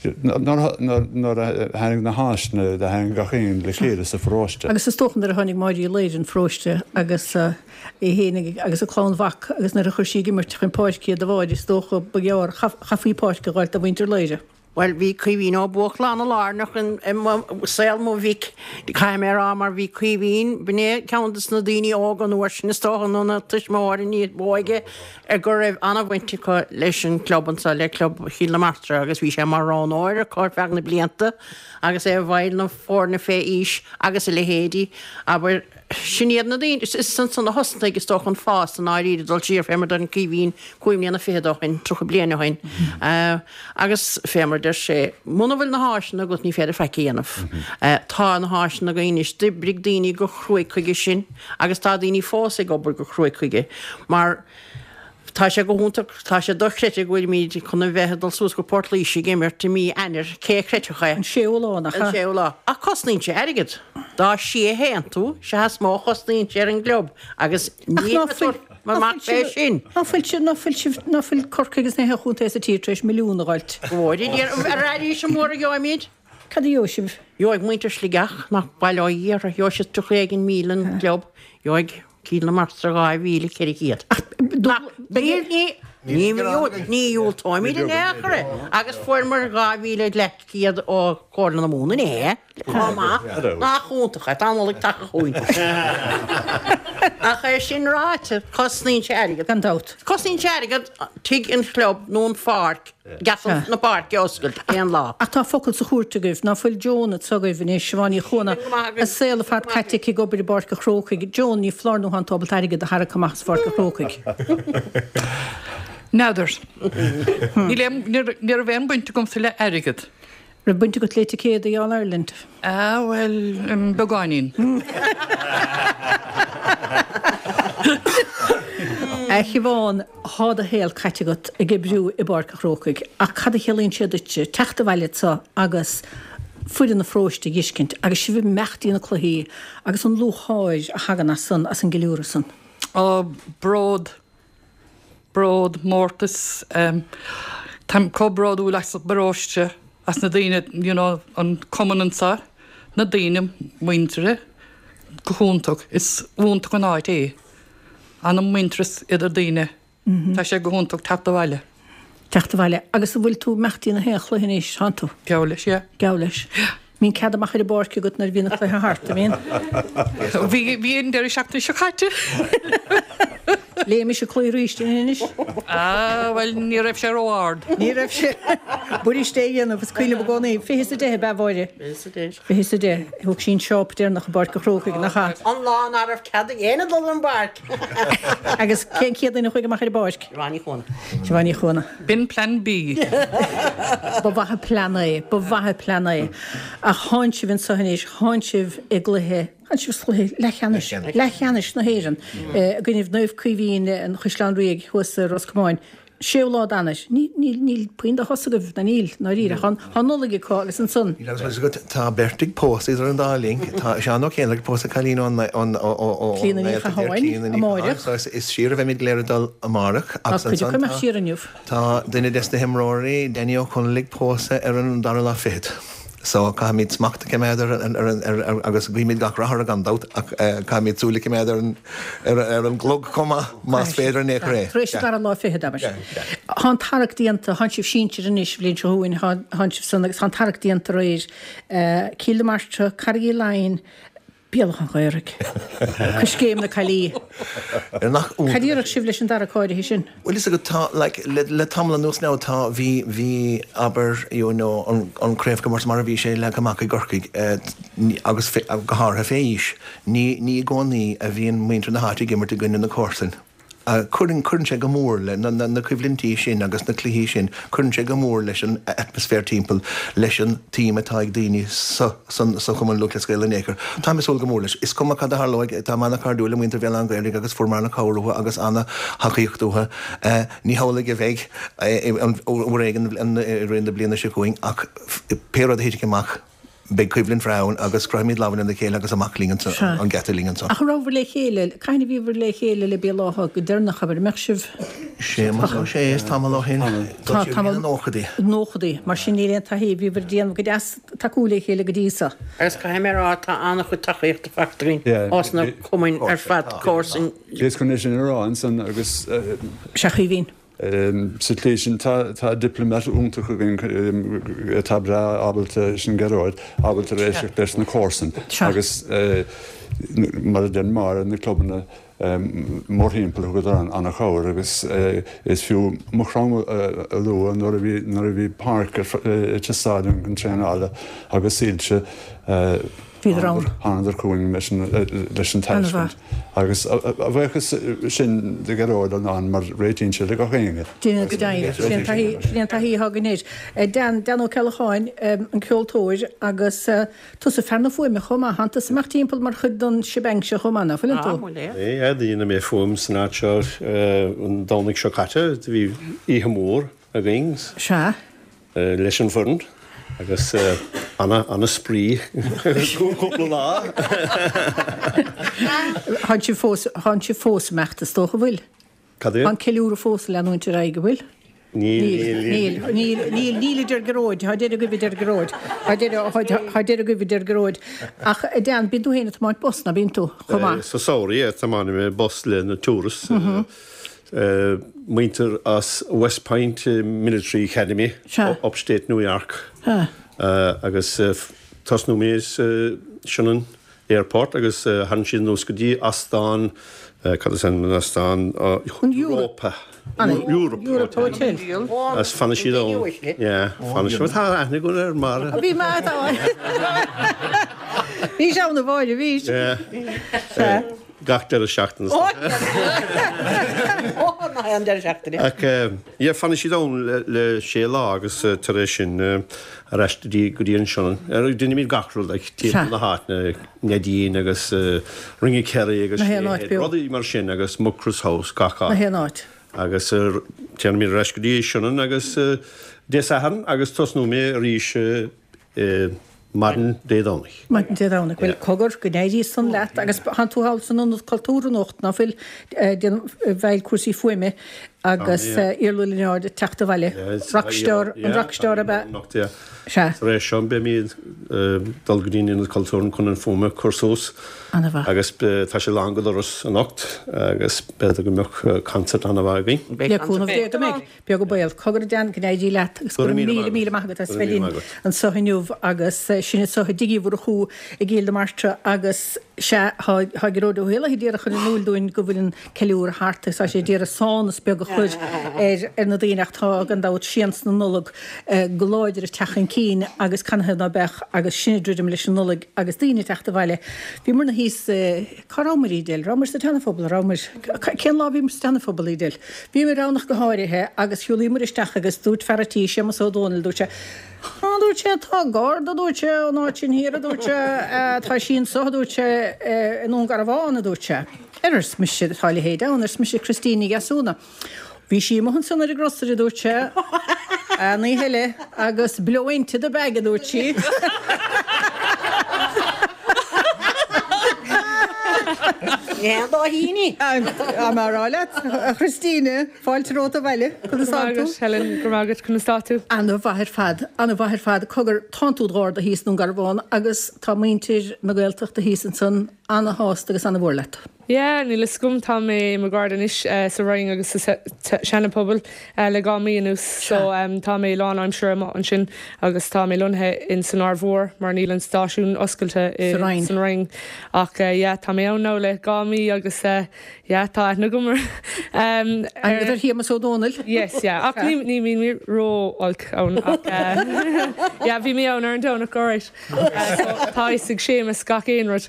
Speaker 13: nuair a tháinig na háiseanna do tháinig gach aon le chéile sa pharóiste.
Speaker 3: Agus is dócha nuair a tháinig Máire Uí Laoire an pharóiste agus í fhéinig agus a clann mhac agus nuair a chuir sí ag imirt chun páirce iad a Mháire is dócha ba ghearr chaithfí páirc a dh'fháilt do mhuintir Laoire.
Speaker 14: Bhuel, bhí Caoimhín Ó Buachalla ana-lárnach i saol mo mhic, caithfidh mé a rá, mar bhí Caoimhín, b'in é ceann de na daoine óga an uair sin, is dócha, nó na tuismitheoirí ní b'óige, go raibh ana-bhaint acu leis an gclub anso, le Club Chill na Martra, agus bhí sé mar roghnóir acu ar feadh na blianta agus é i bhfeighil na foirne fé aois agus a leithéidí, abair. Sin iad na daoine, is ansan a thosnaigh, is dócha, an fás i ndáiríre, dul siar fé mar deireann Caoimhín, cúig mbliana fichead ó shin, 30 bliain ó shin. Agus fé mar a deir sé, muna bhfuil na háiseanna agat ní féidir faic a dhéanamh. Tá na háiseanna againn anois, d'oibrigh daoine go cruaidh chuige sin agus tá daoine fós ag obair go cruaidh chuige mar, Tá sé go hiontach, tá sé dochreidte go bhfuilimid chun a bheith ag dul suas go Port Laoise ag imirt i mí Eanáir, cé a chreidfeadh é?
Speaker 3: An séú lá, nach
Speaker 14: ea? An séú lá. Ach cosnaíonn sé airgead. Dá sia a théann tú, sea is mó a chosnaíonn sé ar an gclub agus
Speaker 3: Ach ná fuil.
Speaker 14: Mar mac é sin.
Speaker 3: Ná fuil sibh, ná fuil sibh, ná fuil Corcaigh agus na haon chontae sa tír tar éis milliún a dh'fháilt?
Speaker 14: Go bhfóire Dia ar arís an mór a gheobhaimid.
Speaker 3: Cad a gheobhaidh sibh?
Speaker 14: Gheobhaidh muintir Sligeach, nach bail ó Dhia orthu, gheobhaidh siad 30 éigin 1,000 an club, gheobhaidh Cill na Martra 2,400. Nach, ní, ní, ní dhiúltóimid in aon chor é. Agus fuaireamar 2,500 ó Chomhairle na Mumhan inné. Chomh maith. Nach iontach é, tá an Nollaig tagtha chugainn. Ach é sin ráite, cosnaíonn sé airgead.
Speaker 3: Gan dabht.
Speaker 14: Cosnaíonn sé airgead tigh an chlub nó an pháirc, geata na páirce a oscailt aon lá.
Speaker 3: Ach tá focal sa chúirt agaibh, ná fuil Joan anseo agaibh anois, Siobhán Ní Chuana, a saol ar fad caite aici ag obair i bPáirc an Chrócaigh. Joan, ní foláir nó thánn tú ábalta airgead a tharrac amach as Pháirc an Chrócaigh.
Speaker 11: N'fheadar. Ní raibh aon baint agamsa le airgead.
Speaker 3: Raibh baint agat le ticéadaí All Ireland?
Speaker 11: Ah, bhuel, beagáinín.
Speaker 3: A Shiobhán, thá do shaol caite agat ag oibriú i bPáirc an Chrócaigh, ach cad a chiallaíonn sé duitse teacht abhaile anso agus foireann an pharóiste a dh'fheiscint agus sibh ag imeacht dtí na cluichí agus an lúcháir a thagann as san, as an gceiliúradh san?
Speaker 11: Ó, bród. Bród, mórtas. Táim chomh bródúil as an bparóiste, as na daoine, you know, an cumann anseo, na daoine muinteartha, go hiontach. Is iontach an áit é. Ana-mhuintearas idir daoine. Tá sé go hiontach teacht abhaile.
Speaker 3: Teacht abhaile. Agus an bhfuil tú ag imeacht dtí na haon chluiche anois, tánn tú?
Speaker 11: Geall leis, yeah.
Speaker 3: Geall leis.
Speaker 11: Yeah.
Speaker 3: Mbíonn cead amach ar an bpáirc agat nuair a bhíonn an cluiche thart, an mbíonn?
Speaker 11: Bhí, bhí an deireadh seachtaine seo caite.
Speaker 3: Léigh mise cluiche arís anois.
Speaker 11: Ah, bhuel, ní raibh sé ró-ard.
Speaker 3: Ní raibh sé. B'fhuirist é a dhéanamh, is cuimhin liom i gcónaí. 20 is 10 ab ea, a Mháire?
Speaker 14: 20 is 10.
Speaker 3: 20 is 10. Thug sí an seáp deireanach i bPáirc an Chrócaigh, nach ea?
Speaker 14: An lá ná raibh cead ag éinne dul ar an bpáirc.
Speaker 3: Agus cén chéad duine a chuaigh amach ar an bpáirc?
Speaker 14: Siobhán Ní Chuana.
Speaker 3: Siobhán Ní Chuana.
Speaker 11: B'in Plean B.
Speaker 3: Ba mhaith an plean é, ba mhaith an plean é. Ach thánn sibh anseo anois, thánn sibh i gcluiche, thánn sibh sa chluiche leathcheannais, leathcheannais na hÉireann i gcoinnibh Naomh Caoimhín an Chaisleáin Ríoga thuas i Ros Comáin. Séú lá d'Eanáir. Ní, níl, níl puinn de shos agaibh, ná níl, ndáiríre. Tá, tá an Nollaig acu agus ansan.
Speaker 12: Níl agus meas agat, tá beirt ag pósadh idir an dá linn. Tá Seán Ó Céineach ag pósadh cailín ón, ón, ó, ó, ó,
Speaker 3: Clíona Ní Chatháin, amárach.
Speaker 12: So is, is siar a bheimid go léir ag dul amárach
Speaker 3: Tá
Speaker 12: agus
Speaker 3: cuid
Speaker 12: ansan
Speaker 3: acu imeacht
Speaker 12: tá,
Speaker 3: siar inniu.
Speaker 12: tá duine des na himreoirí, Danny Ó Conaill ag pósadh ar an dara lá fichead. So caithfimid smacht a choimeád ar an, ar an, ar, ar, agus guímid gach rath orthu gan dabht ach caithfimid súil a choimeád ar an, ar, ar an gclog chomh maith más féidir in aon chor é.
Speaker 3: Tar éis an dara lá fichead, abair. Tá an tarrac déanta, thánn sibh sinsir anois, bhliain seo chugainn, thánn sibh san agus tá an tarrac déanta aréir. Cill na Martra, Carraig Uí Leighin, Béal Átha an Ghaorthaidh. Coiscéim na Caillí.
Speaker 12: Nach iontach.
Speaker 3: Cad déarfadh sibh leis an dtarrac áirithe sin?
Speaker 12: Bhuel, is agat, tá, like, le, le tamall anuas now, tá, bhí, bhí, abair, you know, an, an craobhchomórtas mar a bhí sé leagtha amach i gCorcaigh, eh, ní, agus fé, go háirithe fé aois, ní, ní i gcónaí a bhíonn muintir na háite ag imirt i gcoinne na comharsan. Cuireann, cuireann sé go mór le, na, na, na coimhlintí sin agus na cluichí sin, cuireann sé go mór leis an atmaisféar timpeall, leis an tsuim atá ag daoine sa, san, sa Chumann Lúthchleas Gael in aon chor. Táim ag súil go mór leis. Is cuma cad a tharlóidh, táim ana-chairdiúil le muintir Bhéal Átha an Ghaorthaidh agus fuair mé ana-chabhair uathu agus ana-thacaíocht uathu. Ní hamhlaidh a bheidh an, uair éigin i rith na bliana seo chugainn ach pé rud a thitfidh amach, Beidh coimhlint bhreá ann agus croithfimid lámha lena chéile agus amach linn anso, an geata linn anso.
Speaker 3: Ach an rabhabhair le chéile, cathain a bhíobhair le chéile le Béal Átha go deireanach, abair, an mbeadh sibh?
Speaker 12: Séamus Ó Sé, is tamall ó shin. Tá tamall. Sna nóchaidí.
Speaker 3: Nóchaidí. Mar sin níl aon taithí, bhíobhair ag déanamh go deas tacúil le chéile go dtí so.
Speaker 14: Agus caithfidh mé a rá, tá an-chuid tacaíochta faighte againn ós na cumainn ar fad, comharsain.
Speaker 13: Bhíos chun é sin a rá ansan agus.
Speaker 3: Sea, a Chaoimhín.
Speaker 13: Sa tslí sin, tá diplomat iontach againn atá breá ábalta, sin Gearóid, ábalta éisteacht leis na comharsain agus mar a deir Máire, na clubanna mórthimpeall thugadar an-chabhair agus is fiú Maigh Chromtha a lua nuair a bhí nuair a bhí páirc ag teastáil chun traenála agus soilse.
Speaker 3: Bhíodar ann.
Speaker 13: Thánadar chugainn leis an tairiscint agus a bhuíochas sin do Ghearóid ann mar réitíonn sé le gach éinne.
Speaker 3: Déanann go deimhin. Sin é an taithí atá againn air. Dan, Dan Ó Ceallacháin, an ceoltóir agus tusa fear na fuaime chomh maith. Tánn tusa ag imeacht timpeall mar chuid den shebang seo chomh maith, ná fuileann tú?
Speaker 15: Sea, dhéanamh mé fuaim san áit seo an Domhnach seo caite. Bhí oíche mhór againn.
Speaker 3: Sea.
Speaker 15: Leis an bhfoireann agus ana-spraoi cúpla lá.
Speaker 3: Thánn sibh fós, thánn sibh fós ag imeacht is dócha, bhfuil?
Speaker 15: Cad é?
Speaker 3: Tá an ceiliúradh fós ag leanúint ar aghaidh, an bhfuil?
Speaker 15: Níl,
Speaker 3: níl, níl. Níl, níl, níl a deir Gearóid, tá deireadh agaibh a deir Gearóid. Tá deireadh, tá deireadh agaibh a deir Gearóid. Ach a Dan, bíonn tú féin ag tiomáint bus, ná bíonn tú, chomh maith?
Speaker 15: Sa samhradh, yeah, tiomáinim mé bus le na tourists. Muintir as West Point Military Academy, Upstate New York. Agus tosnóidh mé sa Sionainn Airport agus thagann siad anuas go dtí Ostán, cad is ainm don ostán, Europa, Europe Hotel. Agus fanann siad ann, yeah, fanann siad, tá aithne agat air mar.
Speaker 3: Bhí mé, tá. Bhís ann a Mháire, bhís.
Speaker 15: Yeah. Gach deireadh seachtaine.
Speaker 14: Ó, nach é an deireadh seachtaine.
Speaker 15: Ach, yeah, fanann siad ann le sé lá agus tar éis sin ar ais go dtí an Sionainn. Déanaimid gach rud, like, timpeall na háite, Neidín agus Ring of Kerry agus
Speaker 3: Na haon áit beo.
Speaker 15: rudaí mar sin agus Mucross House, gach áit.
Speaker 3: Na haon áit.
Speaker 15: Agus téanaimid ar ais go dtí Sionainn agus Dé Sathairn agus tosnóidh mé arís maidin Dé Domhnaigh.
Speaker 3: Maidin Dé Domhnaigh. Bhuel, cogar, go n-éirí san leat agus thánn tú thall san Ionad Cultúir anocht, ná fuil, déanamh i bhfeighil cúrsaí fuaime agus Iarla Ó Lionáird ag teacht abhaile. Rockstar, an rockstar ab ea? Sea.
Speaker 15: Tar éis seo beimid ag dul go dtí an Ionad Cultúir chun an fuaim a chur suas.
Speaker 3: Ana-mhaith.
Speaker 15: Agus tá sé lán go doras anocht agus b'fhéidir go mbeadh concert ana-mhaith againn.
Speaker 3: Le cúnamh Dé go mbeidh. Beag an baol. Cogar a Dan, go n-éirí leat agus go raibh míle, míle maith agat as bheith linn anseo inniu agus sinn anseo i dTigh Uí Mhurchú i gCill na Martra agus sea, tá Gearóid Ó hÉallaithe d'iarraidh a chur in iúl dúinn go bhfuil an ceiliúradh thart agus tá sé d'iarraidh sánas beag a chur ar na daoine ach tá gan dabht sians na Nollag go láidir ag teacht chun cinn agus canathaobh ná beadh agus sinn ag druidim leis an Nollaig agus daoine ag teacht abhaile. Bhíomar-na thíos i. Cá rabhamar, Edel? Rabhamar sa tSeanaphobal, rabhamar? Cén lá a bhíomar sa tSeanaphobal, Edel? Bhíomar ann ach go háirithe agus shiúlaíomar isteach agus dúirt fear a' tí, Séamus Ó Dónaill, dúirt sé, Á, dúirt sé, tá garda, dúirt sé, ón áit sin thiar, a dúirt sé, tá sí anso, a dúirt sé, i nDún Garbhán, a dúirt sé. Ar arsa mise, tá a leithéid ann, arsa mise, Christine Ní Dheasúna. Bhí sí amuigh ansan ar an gcrosaire, a dúirt sé, an oíche eile, agus blow into the bag, a dúirt sí.
Speaker 14: Ní haon dá thine í.
Speaker 3: Tá mé a rá leat, a Christine, fáilte romhat abhaile. Conas
Speaker 8: tá tú? Helen, go raibh maith agat, conas tá tú?
Speaker 3: Ana-mhaith ar fad, ana-mhaith ar fad. Cogar, tánn tú id gharda thíos i nDún Garbhán agus tá muintir na Gaeltachta thíos ansan ana-shásta agus ana-mhór leat.
Speaker 8: Yeah, níl fhios agam, tá mé i mo gharda anois sa Rinn agus sa Seana-Phobal le 2 mí anuas so tá mé lán aimsire amuigh ansin agus tá mé lonnaithe in san Aird Mhór mar níl an stáisiún oscailte i san Rinn ach yeah tá mé ann now le 2 mí agus yeah tá aithne agam ar
Speaker 3: Aithne ar Shéamus Ó Dónaill?
Speaker 8: Yes, yeah ach ní ní bhíonn mé ró-olc ann ach yeah bhí mé ann ar an Domhnach alright. Tá fhios ag Séamus gach aon rud.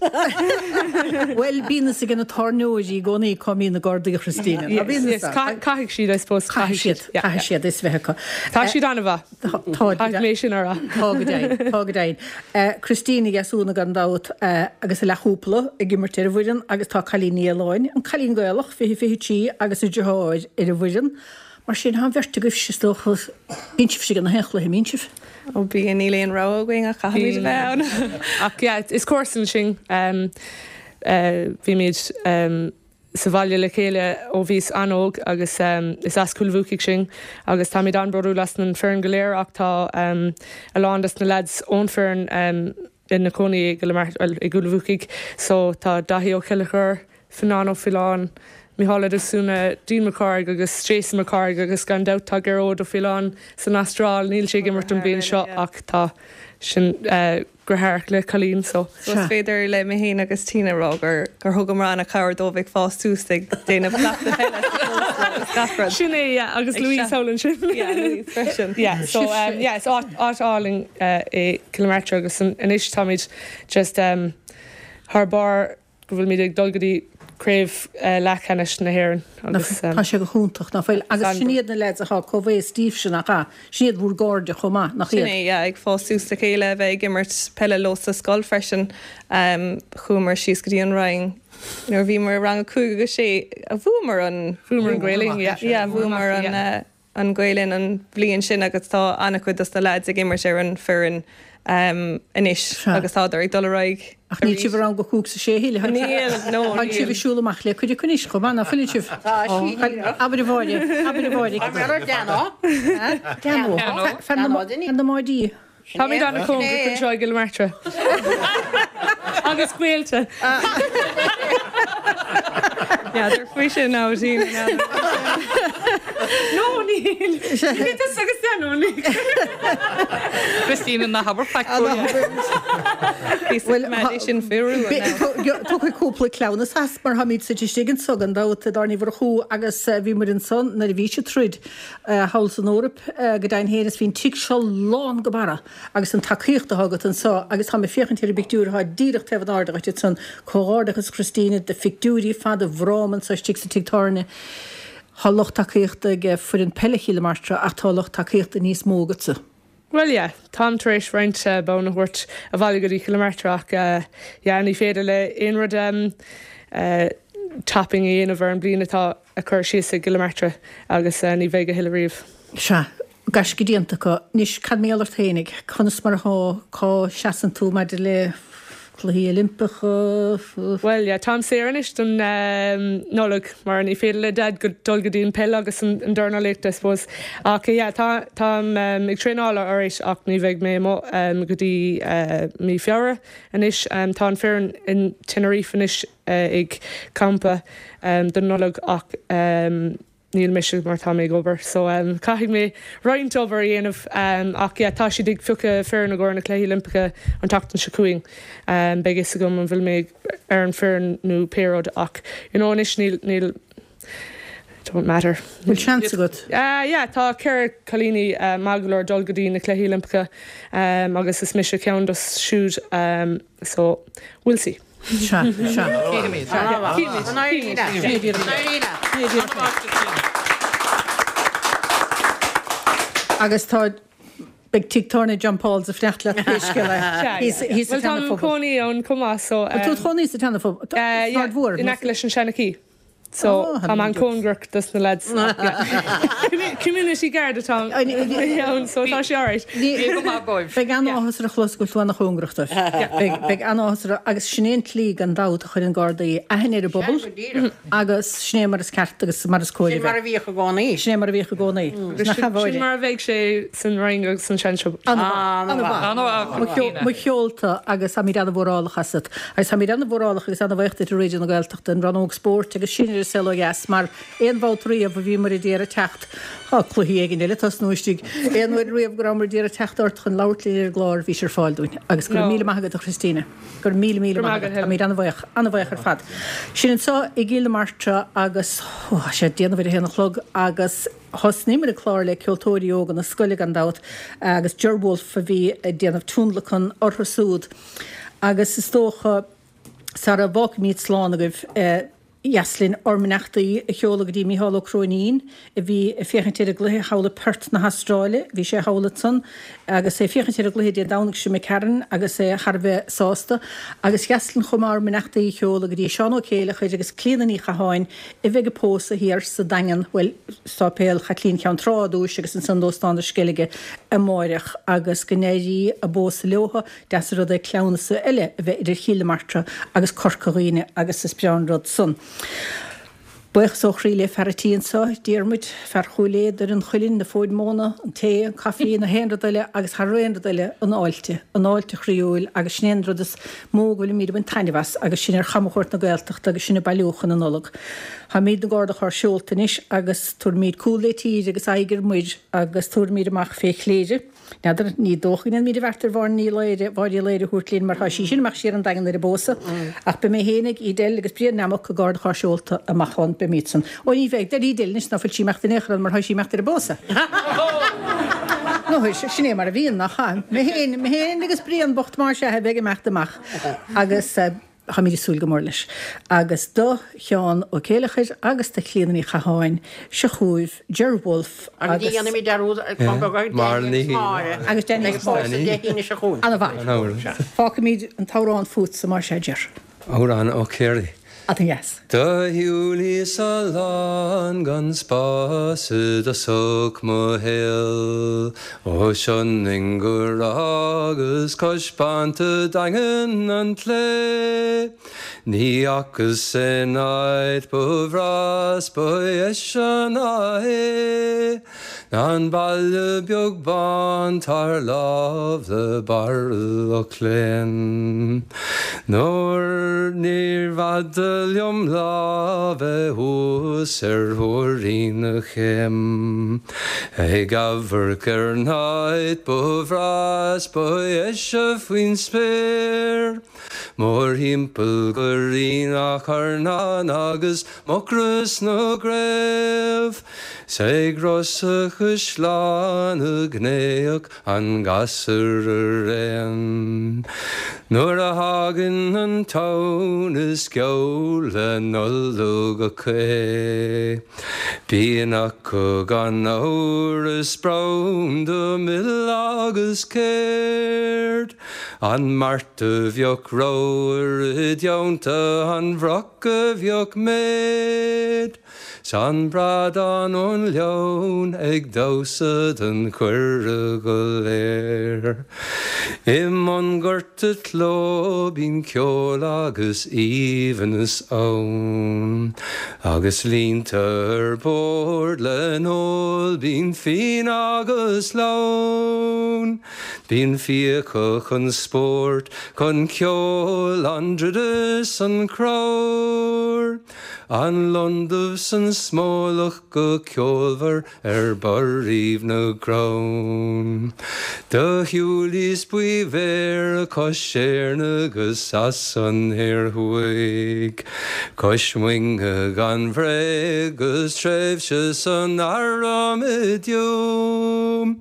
Speaker 3: Bhuel, bíonn fhios ag na tábhairneoirí i gcónaí cá mbíonn na Gardaí, a Christina. Ná bíonn fhios
Speaker 8: acu? Caithfidh siad, I suppose.
Speaker 3: Caithfidh siad, caithfidh siad fhios bheith acu.
Speaker 8: Tá siad an-mhaith.
Speaker 3: Tá,
Speaker 8: Caithfidh mé sin a rá.
Speaker 3: Tá go deimhin, tá go deimhin. Christina Ní Dheasúna gan dabht agus a leathchúpla ag imirt ar an bhfoireann agus tá Cailín Ní Fhaoláin, an cailín Gaelach, 20, 23 agus a deartháir ar an bhfoireann. Mar sin, tá an bheirt agaibhse, is dócha, bíonn sibhse ag na haon chluiche, an mbíonn sibh?
Speaker 16: Ó bíonn, níl aon rogha againn ach caithfimid a bheith ann.
Speaker 8: Ach yeah, is comharsan sinn. Bhímid sa bhaile le chéile ó bhíos an-óg agus is as Cúil Bhuacaigh sinn agus táimid an-bhródúil as an foireann go léir ach tá a lán des na lads ón foireann ina cónaí i gCúil Bhuacaigh so tá Daithí Ó Ceilleachair, Fionán Ó Faoláin, Mícheál Ó Deasúna, Dean Mac Cárthaigh agus Jason Mac Cárthaigh agus gan dabht tá Gearóid Ó Faoláin san Astráil, níl sé ag imirt an bhliain seo ach tá sin deartháireach le Colleen so.
Speaker 16: So is féidir le mé féin agus Tina a rá gur gur thugamar an-chabhair dóibh ag fás suas ag déanamh cleachtadh peile sa chlós agus gach rud.
Speaker 8: Sin é yeah agus Louise thall ansin.
Speaker 16: Yeah Louise freisin.
Speaker 8: Yeah so yeah is áit áit álainn é Cill na Martra agus anois táimid just thar barr go bhfuilimid ag dul go dtí craobh leathcheannais na hÉireann agus.
Speaker 3: Tá sé go hiontach, nach bhfuil? Agus sin iad na leaids atá comhaosta daoibhse, nach ea? Sin iad bhur gcairde chomh maith, nach
Speaker 16: iad? Sin é, yeah, ag fás suas le chéile, a bheith ag imirt peile leo sa scoil freisin. Chuamar síos go dtí an Rinn nuair a bhíomar i rang a cúig agus sé, bhuamar an.
Speaker 8: Bhuamar an Gael-Linn, yeah.
Speaker 16: Yeah, bhuamar an. an Gael-Linn an bhliain sin agus tá an-chuid dos na leaids ag imirt ar an foireann. Anois agus tádar ag dul ar aghaidh
Speaker 3: Ach níl sibh i rang a cúig 's a sé a thuilleadh.
Speaker 16: Níl, no,
Speaker 3: Tá
Speaker 16: níl.
Speaker 3: sibh ag siúl amach le cuid acu anois chomh maith, ná fuileann sibh?
Speaker 14: Tá, sí,
Speaker 3: Abair a Mháire, abair a Mháire.
Speaker 14: Deano.
Speaker 3: Deano. Fear na mbáidí.
Speaker 17: Táimid an-chóngarach anseo i gCill na Martra. Agus gaolta.
Speaker 16: N'fheadar faoi sin, Aberdeen.
Speaker 17: No, níl. Níl tusa agus Deano, níl.
Speaker 11: Christina, ná habair faic
Speaker 3: Bhuel,
Speaker 16: sin fiú.
Speaker 3: Tiocfaidh cúpla cleamhnas as mar táimid suite istigh anso gan dabht i dTábhairne Uí Mhurchú agus bhí muid ansan nuair a bhí siad troid thall san Eoraip go deimhin féin is bhí an tigh seo lán go barra agus an tacaíocht atá agat anso agus táim ag féachaint ar an bpictiúr atá díreach taobh in airde dhuit ansan, comhghairdeachas Christina de phictiúirí fada bhfráma anso istigh sa tigh tábhairne. Tá lucht tacaíochta ag foireann peile Chill na Martra ach tá lucht tacaíochta níos mó agatsa.
Speaker 17: Bhuel yeah, táim tar éis roinnt bonn a thabhairt abhaile go dtí Cill na Martra ach yeah, ní féidir le aon rud topping a dhéanamh ar an bliain atá á cur síos ag Cill na Martra agus ní bheidh a thuilleadh riamh.
Speaker 3: Sea, gaisce déanta acu. Anois, cad mar gheall ort fhéinig? Conas mar atá, cá seasann tú maidir le Cluichí Oilimpeacha?
Speaker 17: Bhuel, yeah, táim saor anois don Nollaig mar ní féidir le Dad dul go dtí an peil agus an dornálaíocht, I suppose. Ach yeah, tá, táim ag traenáil alright ach ní bheidh mé amuigh go dtí mí Feabhra anois. Tá an foireann in Tenerife anois ag campa don Nollaig ach níl mise mar tá mé ag obair so caithfidh mé roinnt obair a dhéanamh ach yeah tá siad ag piocadh foireann i gcomhair na Cluichí Oilimpeacha an tseachtain seo chugainn. Beidh fhios agam an bhfuil mé ar an foireann nó pé rud ach you know anois níl níl it don't matter.
Speaker 3: Bhfuil seans agat?
Speaker 17: Yeah tá 4 cailíní maith go leor dul go dtí na Cluichí Oilimpeacha agus is mise ceann dos siúd so we'll see.
Speaker 3: Sea, sea.
Speaker 11: Cífimid.
Speaker 3: Cífimid. Agus tá, beidh tigh tábhairne John Paul's ag fanacht leat pé scéal é.
Speaker 17: Sea, yeah. Bhuel, táim i mo chónaí ann chomh maith, so.
Speaker 3: Bhfuil tú i do chónaí sa tSeana-Phobal?
Speaker 17: Yeah, in aice leis an Seanachie. So tá mé an-chóngarach dos na lads ach yeah. Community guard atá ann so tá sé alright.
Speaker 3: Beidh an-áthas ar a chlos go bhfuil tú an-chóngarach dóibh. Beidh an-áthas ar agus sin é an tslí gan dabht a chuireann Gardaí aithne ar an bpobal agus sin é mar is ceart agus mar is cóir a bheith.
Speaker 14: Sin mar a bhíodh i gcónaí.
Speaker 3: Sin é mar a bhíodh i gcónaí.
Speaker 17: Sin mar a bheidh sé san Rinn agus san Seansiopa.
Speaker 3: An-mhaith. Mo cheolta agus táimid an-mhórálach asat. Agus táimid an-mhórálach agus an-bhaoch duit a Raidió na Gaeltachta, an rannóg spóirt agus sin ar an Saol Ó Dheas mar aon bhabhta riamh a bhíomar ag iarraidh teacht, tá cluichí éigin eile ag tosnú istigh, aon uair riamh go rabhamar ag iarraidh teacht ort chun labhairt linn ar an gclár bhís ar fáil dúinn. Agus go raibh míle maith agat a Christina. Go raibh míle míle maith agat. Táimid an-bhaoch, an-bhaoch ar fad. Sin anseo i gCill na Martra agus, ó, tá sé ag déanamh ar a haon a chlog agus thosnaíomar an clár le ceoltóirí óga na scoile gan dabht agus Ger Wolfe a bhí ag déanamh tionlacan orthu siúd. Agus is dócha, sara bhfágfaimid slán agaibh, dheas linn ár mbeannachtaí a sheoladh go dtí Mícheál Ó Cróinín, a bhí ag féachaint ar an gcluiche thall i Perth na hAstráile. Bhí sé thall ansan agus é ag féachaint ar an gcluiche Dé Domhnaigh seo imigh tharainn agus é thar a bheith sásta. Agus dheas linn chomh maith ár mbeannachtaí a sheoladh go dtí Seán Ó Céileachair agus Clíona Ní Chatháin, a bheidh ag pósadh thiar sa Daingean, bhuel, Sáipéal Chaitlín Cheann Trá i dtúis agus ansan d'Óstán na Sceilge amáireach agus go n-éirí a bpósadh leotha. Deas an rud é cleamhnas eile a bheith idir Chill na Martra agus Corca Dhuibhne agus is breá an rud san. Buíochas ó chroí le fear a' tí anso, Diarmuid, fear Chúil Aodha, Doire an Chuilinn, na fóid móna, an tae, an caife, na haon rud eile agus thar aon rud eile, an fháilte, an fháilte chroíúil agus sin é an rud is mó go bhfuilimíd ag baint taitneamh as agus sinn ar chamchuairt na Gaeltachta agus sinn ag bailiú chun na Nollag. Táimíd na gCarr do Charr seolta anois agus tabharfaimíd cúl le tír agus aghaidh ar muir agus tabharfaimíd amach fé Chléire. N'fheadar, ní dócha go ndéanfaimid an bheart ar Mháire Ní Laoire, Mháire Uí Laoire a thabhairt linn mar tá sí sin amach siar an Daingean ar an bpósadh. Ach beidh mé fhéinig, Edel agus Brian Nammock i gcarr do charr seolta amach ann, beimíd san. Ó ní bheidh, deir Edel anois ná fuil sí imeacht in aon chor ann mar tá sí imeacht ar an bpósadh. Nó sin é mar a bhíonn, nach ea? Mé fhéin, mé fhéin agus Brian bocht más ea a bheidh imeacht amach agus. Táimid ag súil go mór leis. Agus do Sheán Ó Céileachair agus do Chlíona Ní Chatháin, seo chugaibh Ger Wolfe
Speaker 14: Agus ní
Speaker 3: agus.
Speaker 14: dhéanfaimid dearúd ar Chonn Beag ar Danny agus Máire.
Speaker 3: Agus Danny agus Máire.
Speaker 14: Beidh pósadh Dé hAoine seo chugainn.
Speaker 3: Ana mhaith. Fágfaimid an t-amhrán fútsa más ea, Ger.
Speaker 18: Amhrán ó Chiarraí.
Speaker 3: An-dheas.
Speaker 13: Do shiúlaíos a lán gan spás i dtosach mo shaoil, ó Sionainn go Ráth agus cois Banta Daingean an tSléibhe. Ní fhacas aon áit ba bhreá 's ba dheise ná é. An baile beag bán 'tá ar láimh le barra Loch Léin. Nuair níorbh fhada liom lá bheith thuas ar thúirín na céim ag amharc ar an áit ba bhreá 's ba dheise faoin spéir. Mórthimpeall go Rinn a' Charnáin agus Mucros na gCraobh. 'S ag Ros a' Chaisleáin a gnaíodh an gasúr araon. Nuair a thagann an tonn is geall le Nollaig acu é. Bíonn acu gan amhras branda mil agus céard. An mart a bheadh ramhar i dteannta an bhroc a bheadh méid. 'S an bradán ón leann ag damhsa don chuireadh go léir. I mbun Ghort a' tSló bíonn ceol agus aoibhneas ann, Agus líonta ar bord le n-ól bíonn fíon agus lón. Bíonn fiacha chun spóirt, chun ceoil, an druid is an creabhar. An lon dubh 's an smólach go ceolmhar ar barraíbh na gcrann. Do shiúlaíos Buí Bhéarra cois Éirne 'gus as an Thoir Thuaidh, Cois Muinge gan bhréag 'gus tréimhse san arm i dTuaim.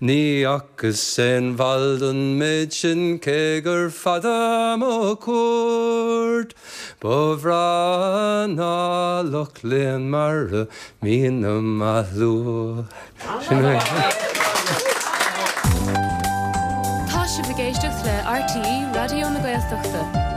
Speaker 13: Ní fhacas aon bhail don méid sin cé gur fada mo chuairt. Ba bhreá ná Loch Léin mar a mbíonn á lua. Sin é.
Speaker 4: Tá sibh ag éisteacht le RTÉ Raidió na Gaeltachta.